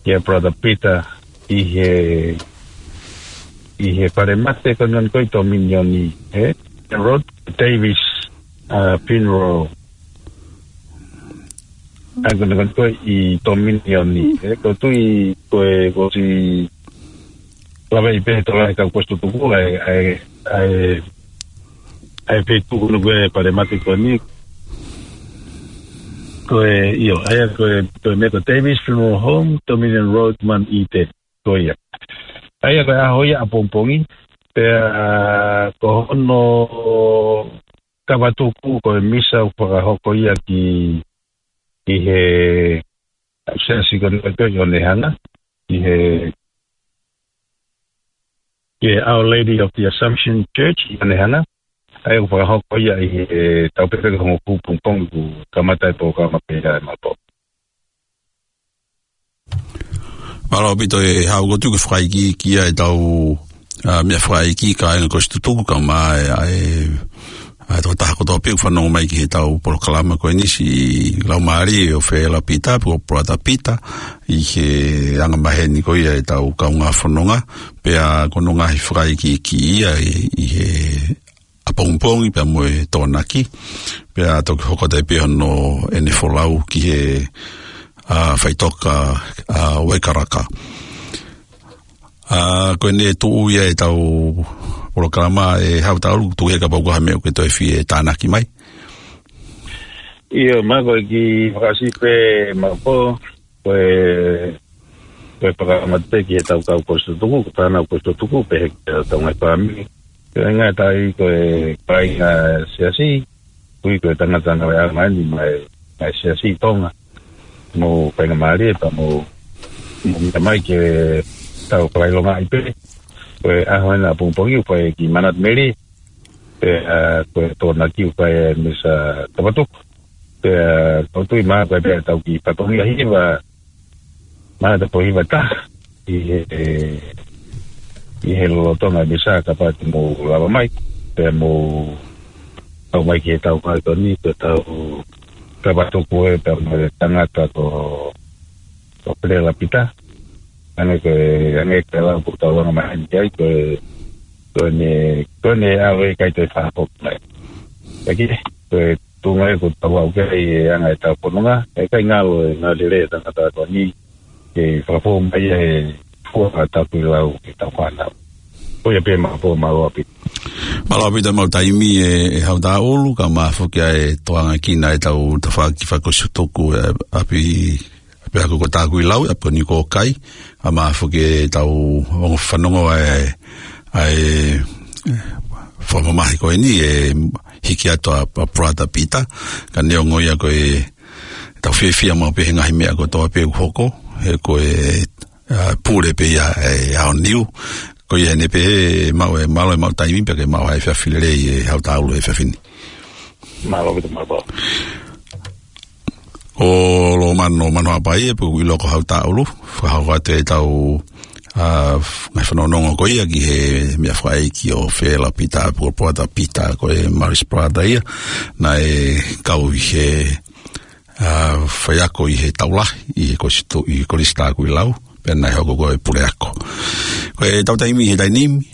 kia Brother Peter ʻi he, ʻi he falemate ko eni ko ē ʻi Tominioni, ē? Rod Davis, ʻa, Funeral. ʻA, ko eni ko ē ʻi Tominioni, ē? Ko e tui ko ē kuo ʻosi lava ʻi pē he tokolahi kau Kolisi Tutuku, ʻa e, ʻa e, ʻa e, ʻa e feituʻu ko eni ko ē falemate ko eni. Ko e, ʻio, ʻa ia ko e, ko e meʻa ko Davis Funeral Home, Dominion Road, Mount Eden, ko ia. ʻA ia ko e ʻaho ia ʻapongipongi, pea ko hono kavatuku ko e misa ʻoku fakahoko ia ki, ki he, ʻa e siasi ko eni ʻoku ʻi Onehunga, ki he, ki he Our Lady of the Assumption Church ʻi Onehunga. ʻA ia ʻoku fakahoko ia ʻi he taʻu pē ko ē hongofulu pongipongi kuo kamata e polokalama pē ia ʻe Maʻapo. Mālō ʻaupito e Haʻu, ʻoku ou tui ko e fakaikiiki ia ʻetau, ā, meʻa fakaikiiki kāinga ko e situtuku ka mai ʻa e, ʻa e tokotaha kotoa pē ʻoku fanongo mai ki heʻetau polokalama ko eni, siʻi laumālie ʻo Fela Pita, pe ko Brother Pita, ʻi he anga maheni ko ia ʻetau kaungā fononga, pea ko hono ngaahi fakaikiiki ia ʻi, ʻi he ʻapongipongi pea mo e Tokonaki, pea toki hoko atu ai pē hono ʻene folau ki he, ā, faʻitoka, ā, Waikaraka. Ā, ko eni ʻe tuʻu ia ʻetau polokalama ʻe Haʻu Taulu, tuku ia kapau ko ha meʻa ʻoku ke toe fie tānaki mai. ʻIo, mālō, ko e kiʻi fakaʻosi pē Maʻapo, ko e, ko e polokalama pē ki heʻetau kau ko e situtuku, ko e fānau ko e situtuku, pehē ki heʻetau ngaahi fāmili. Ko e ngaahi taʻu ko e kāinga siasi, ʻoku ui ko e tangata naʻe ʻomai mai mei he siasi Tonga. Mo faingamālie pea mo, mo meʻa mai ke tau fakaʻilongaʻi pē. Ko e ʻaho eni ʻapongipongi ʻoku fai ki Manatu Mele. Pea, ā, ko e Tokonaki ʻoku fai e misa kavatuku. Pea, ā, ʻoku ou tui mahalo ko e pē ʻetau kiʻi fatongia hiva, mahalo te u pehē hiva taha ʻi he, ʻi he lolotonga e misa kapau te mou lava mai. Pea mou ʻomai ki heʻetau ngaahi toni, ko ʻetau kavatuku ē pea mo e tangata ko, ko Fela Pita. Hangē ko e, hangē ko e lau ʻoku tau anga maheni ki ai, ko e, ko ʻene, ko ʻene ʻalu ʻikai toe fakafoki mai. Ka ko e, ko e tuʻunga ia ʻoku tau aʻu ki ai he anga ʻetau fononga, ʻikai ngalo e ngaahi lelei e tangata ko eni, ke fakafou mai e fua ʻa Takuilau ki heʻetau fānau. Ko ia pē Maʻapo, mālō ʻaupito. Mālō ʻaupito e maʻu taimi ē, ʻe Haʻu Taulu, kae ʻumaʻā foki ʻa e tokangaʻi ʻa ʻetau tafaʻaki fakakosi situtuku ē, ʻapi, ʻapiako ko Takuilau, ʻapi ko eni ko Kai, kae ʻumaʻā foki ʻetau ongo fanongo ʻa e, ʻa e, ē, fakamamahi ko eni ʻe hiki atu ʻa, ʻa Brother Pita, ka neongo ia ko e, tau fiefia maʻu pē he ngaahi meʻa kotoa pē ʻoku hoko, he ko e, ā, pule pē ia ʻe he aoniu. Ko ia eni pē, ē, mālō e, mālō e maʻu taimi pea ke maʻu ha efiafi lelei ē Haʻu Taulu he efiafi ni. Mālō ʻaupito Maʻapo. ʻO Lomano Manohapai ē, pea ʻoku ʻilo ko Haʻu Taulu, fakahoko atu ʻetau, ā, ngaahi fanongonongo ko ia ki he meʻa fakaʻeiki ʻo Fela Pita, pe ko Brother Pita, ko e Marist Brother ia, naʻe kau ʻi he, ā, faiako ʻi he Taulahi, ʻi he Kolisi, ʻi he Kolisi Takuilau, pea naʻe hoko ko e puleako. Ko ʻetau taimi he taimi ni,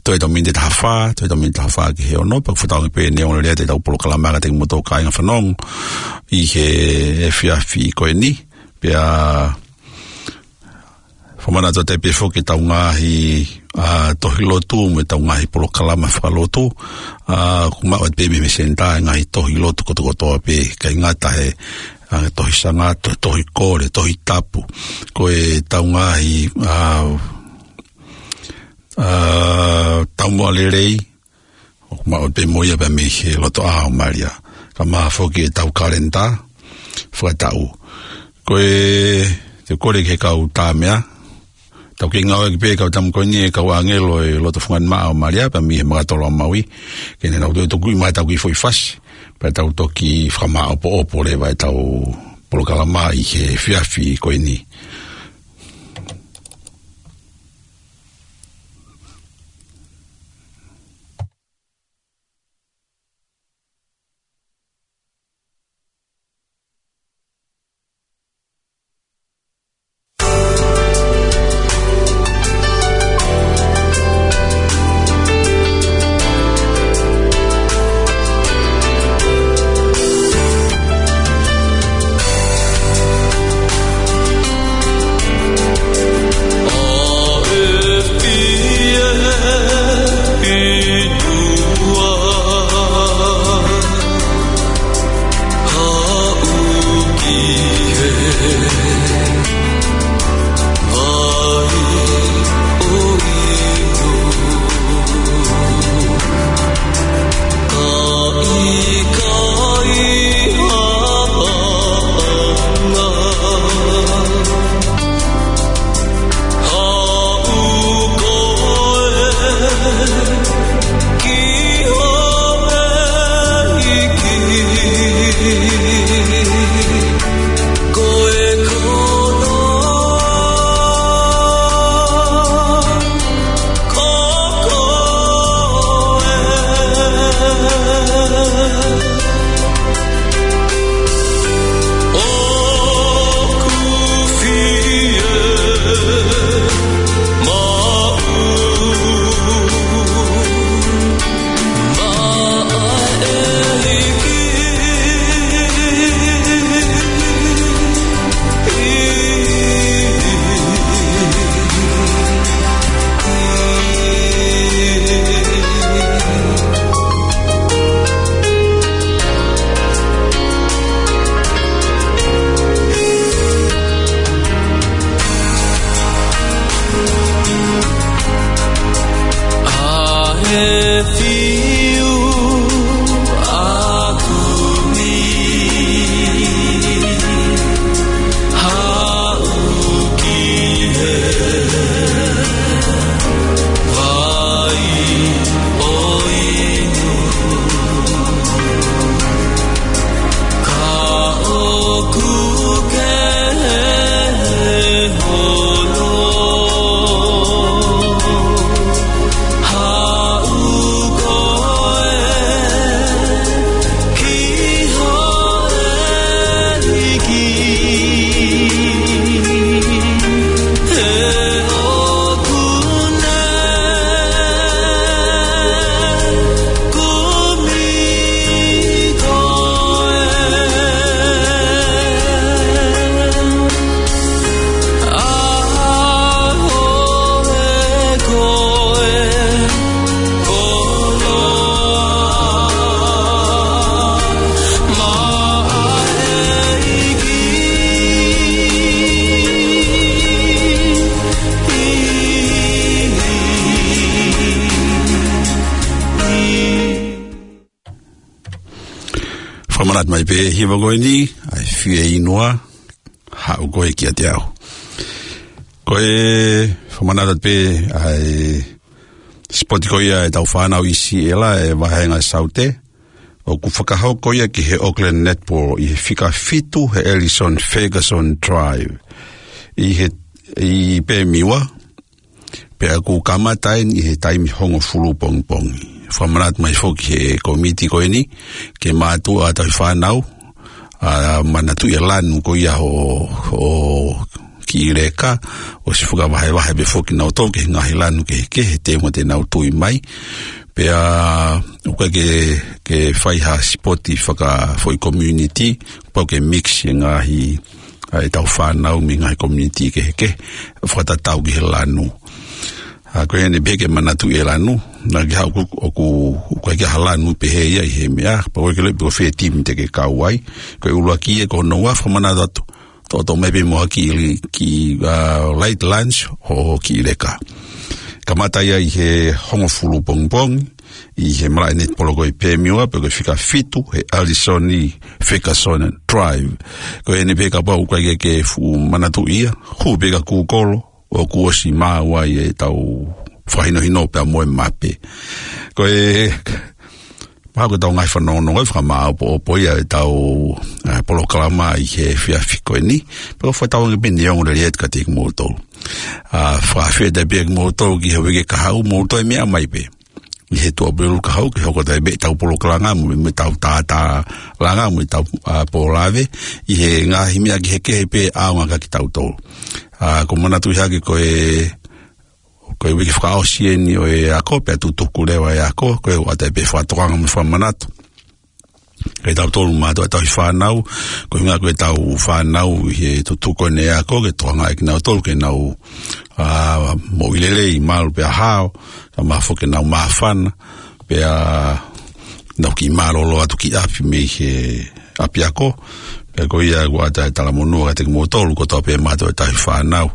toe ʻetau miniti ʻe taha fā, toe ʻetau miniti ʻe taha fā ki he ono, pea ʻoku fakatauange pē neongo lelei ʻetau polokalama kiate kimoutolu kāinga fanongo ʻi he efiafi ko eni, pea fakamanatu atu ai pē foki ʻetau ngaahi, ā, tohi lotu mo ʻetau ngaahi polokalama fakalotu, ā, ʻoku maʻu atu pē mei he senitā e ngaahi tohi lotu kotokotoa pē, ʻikai ngata he, ā, tohi sangato, tohi kole, tohi tapu. Ko ʻetau ngaahi, ā, ā, taumuʻa lelei, ʻoku maʻu pē mo ia pea mei he lotoʻā ʻo Malia. Kae ʻumaʻā foki ʻetau kalenitā fakataʻu. Ko e, te u kole ki he kau tā meʻa, tau kiʻi ngāueʻaki pē kau tama ko eni e kau ʻāngelo ʻo e loto fungani maʻa ʻo Malia, pea mei he Makatolo ʻa Maui, ke ne nau toe tukuʻi mai ʻetau kiʻi foʻi fasi, pea tau toki fakamāʻopoʻopo leva ʻetau polokalama ʻi he efiafi ko eni. ʻAtu mai pē hiva ko eni, ʻa e Fieinua, Haʻu Koe Kiate Au. Ko e fakamanatu pē ʻa e sipoti ko ia ʻetau fānau ʻi Siela ʻi he vāhenga Saute, ʻoku fakahoko ia ki he Auckland Netball ʻi he fika fitu he Ellison Ferguson Drive ʻi he, ʻi Pemiwa, pea ʻoku kamata eni ʻi he taimi hongofulu pongipongi. Fakamanatu mai foki he komiti ko eni, ke mātuʻa ʻa e tauhi fānau, ʻa, manatuʻi e lanu ko ia ʻo, ʻo Kiʻi Leka, ʻosi fakavahevahe pē foki nautolu ki he ngaahi lanu kehekehe, he taimi te nau tui mai. Pea, ʻoku ʻikai ke, ke fai ha sipoti fakafoʻi community, pau ke mix e ngaahi, ʻa ʻetau fānau mei he ngaahi community kehekehe, fakatatau ki he lanu. ʻA, ko eni pē ke manatuʻi e lanu, naʻa ke haʻu ʻoku, ʻoku, ʻoku ʻikai ke ʻi ai ha lanu pehē ia ʻi he meʻa, pea ʻoku ʻikai ke lele pe ko fē timi te ke kau ai, ko e ʻuluaki ia ko hono ua fakamanatu atu, toʻotoʻo mai pē mo ha kiʻi, kiʻi, ʻa, light lunch ʻo Kiʻi Leka. Kamata ia ʻi he hongofulu pongipongi, ʻi he malaʻe netipolo ko ē ʻi Pemiwa, pea ko e fika fitu he Ellison Ferguson Drive. Ko eni pē kapau ʻoku ʻikai ke ke fuʻu manatuʻi ia, hū pē ki Google, ʻoku ʻosi maʻu ai ʻetau fakahinohino pea mo e mape. Ko e, mahalo ko ʻetau ngaahi fanongonongo ʻe fakamāopoopo ia ʻetau, ʻa, polokalama ʻi he efiafi ko eni. Pea ʻoku ou fakatauange pē ʻe ongo lelei atu kiate kimoutolu. ʻA, fakaafeʻi atu pē kimoutolu ki he uike kahaʻu, mou toe meʻa mai pē ʻi he Tuʻapulelulu kahaʻu ke hoko atu ai pē ʻetau polokalama mo, mo ʻetau tātālanga mo ʻetau, ʻa, pōlave ʻi he ngaahi meʻa kehekehe pē ʻaonga kia kitautolu. ʻA, ʻoku ou manatuʻi hake ko e, ko e uike fakaʻosi eni ʻo e ako, pea tutuku leva e ako, ko e ʻoatu ai pē fakatokanga mo e fakamanatu kiate kitautolu mātuʻa tauhi fānau, ko e ʻuhinga ko ʻetau fānau ʻi he tutuku eni e ako, ke tokangaʻi kinautolu ke nau, ʻa, moʻui lelei, malu pea hao, kae ʻumaʻā foki ke nau māfana, pea nau kiʻi mālōlō atu ki ʻapi mei he ʻapiako. Pea ko ia ʻoku ʻoatu ai e talamonū kiate kimoutolu kotoa pē mātuʻa tauhi fānau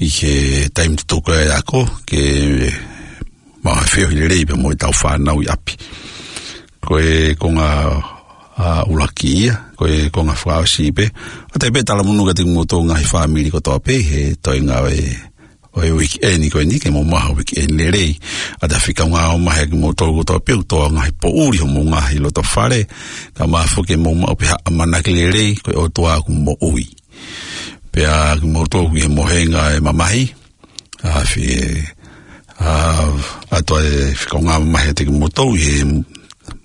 ʻi he taimi tutuku e ako, ke maʻu ha feohi lelei pea mo ʻetau fānau ʻi ʻapi. Ko e konga, ʻa, ʻuluaki ia, ko e konga fakaʻosi pē. ʻOatu ai pē talamonū kiate kimoutolu ngaahi fāmili kotoa pē he toenga ʻo e, ʻo e uike eni ko eni, ke mou maʻu ha uike eni lelei. ʻOatu e fika ngāue makehe kimoutolu kotoa pē ʻoku tō ngaahi poʻuli homou ngaahi loto fale, kae ʻumaʻā foki ke mou maʻu pē ha ʻamanaki lelei, ko e ʻOtua ʻoku moʻui. Pea kimoutolu ʻi he mohenga e mamahi, ʻa, fie, ʻa, ʻoatu e fika ngāue makehe kiate kimoutolu ʻi he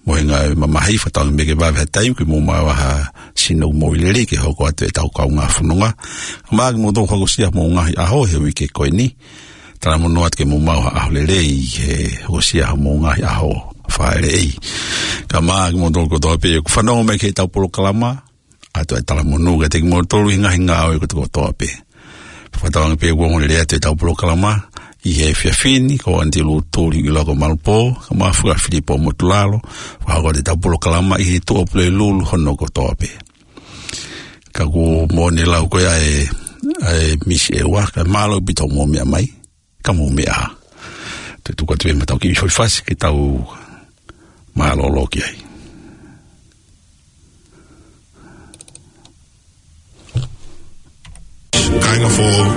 mohenga e mamahi, fakatauange pē ke vave ha taimi ke mou maʻu ha sino moʻui lelei ke hoko atu ʻetau kaungā fononga. Kae ʻumaʻā kimoutolu hokosia homou ngaahi ʻaho he uike ko eni. Talamonū atu ke mou maʻu ha ʻaho lelei he hokosia homou ngaahi ʻaho fāʻeleʻi. Kae ʻumaʻā kimoutolu kotoa pē ʻoku fanongo mai ki heʻetau polokalama, ʻoatu e talamonū kiate kimoutolu ʻi he ngaahi ngāue kotoa pē. Fakatauange pē kuo ongo lelei atu ʻetau polokalama ʻi he efiafi ni, ko Aunty Lutuli ʻi Loko Malupō, kae ʻumaʻā foki ʻa Filipo Motulalo, fakahoko atu ʻetau polokalama ʻi he Tuʻapulelulu hono kotoa pē. Ka ʻoku ou moʻoni lau ko ia ʻe, ʻe Misi ʻEua, kae mālō ʻaupito hoʻomou meʻa mai, ka mou meʻa ā. Te u tuku atu ē ʻemau kiʻi foʻi fasi ke tau mālōlō ki ai. Kāinga fō.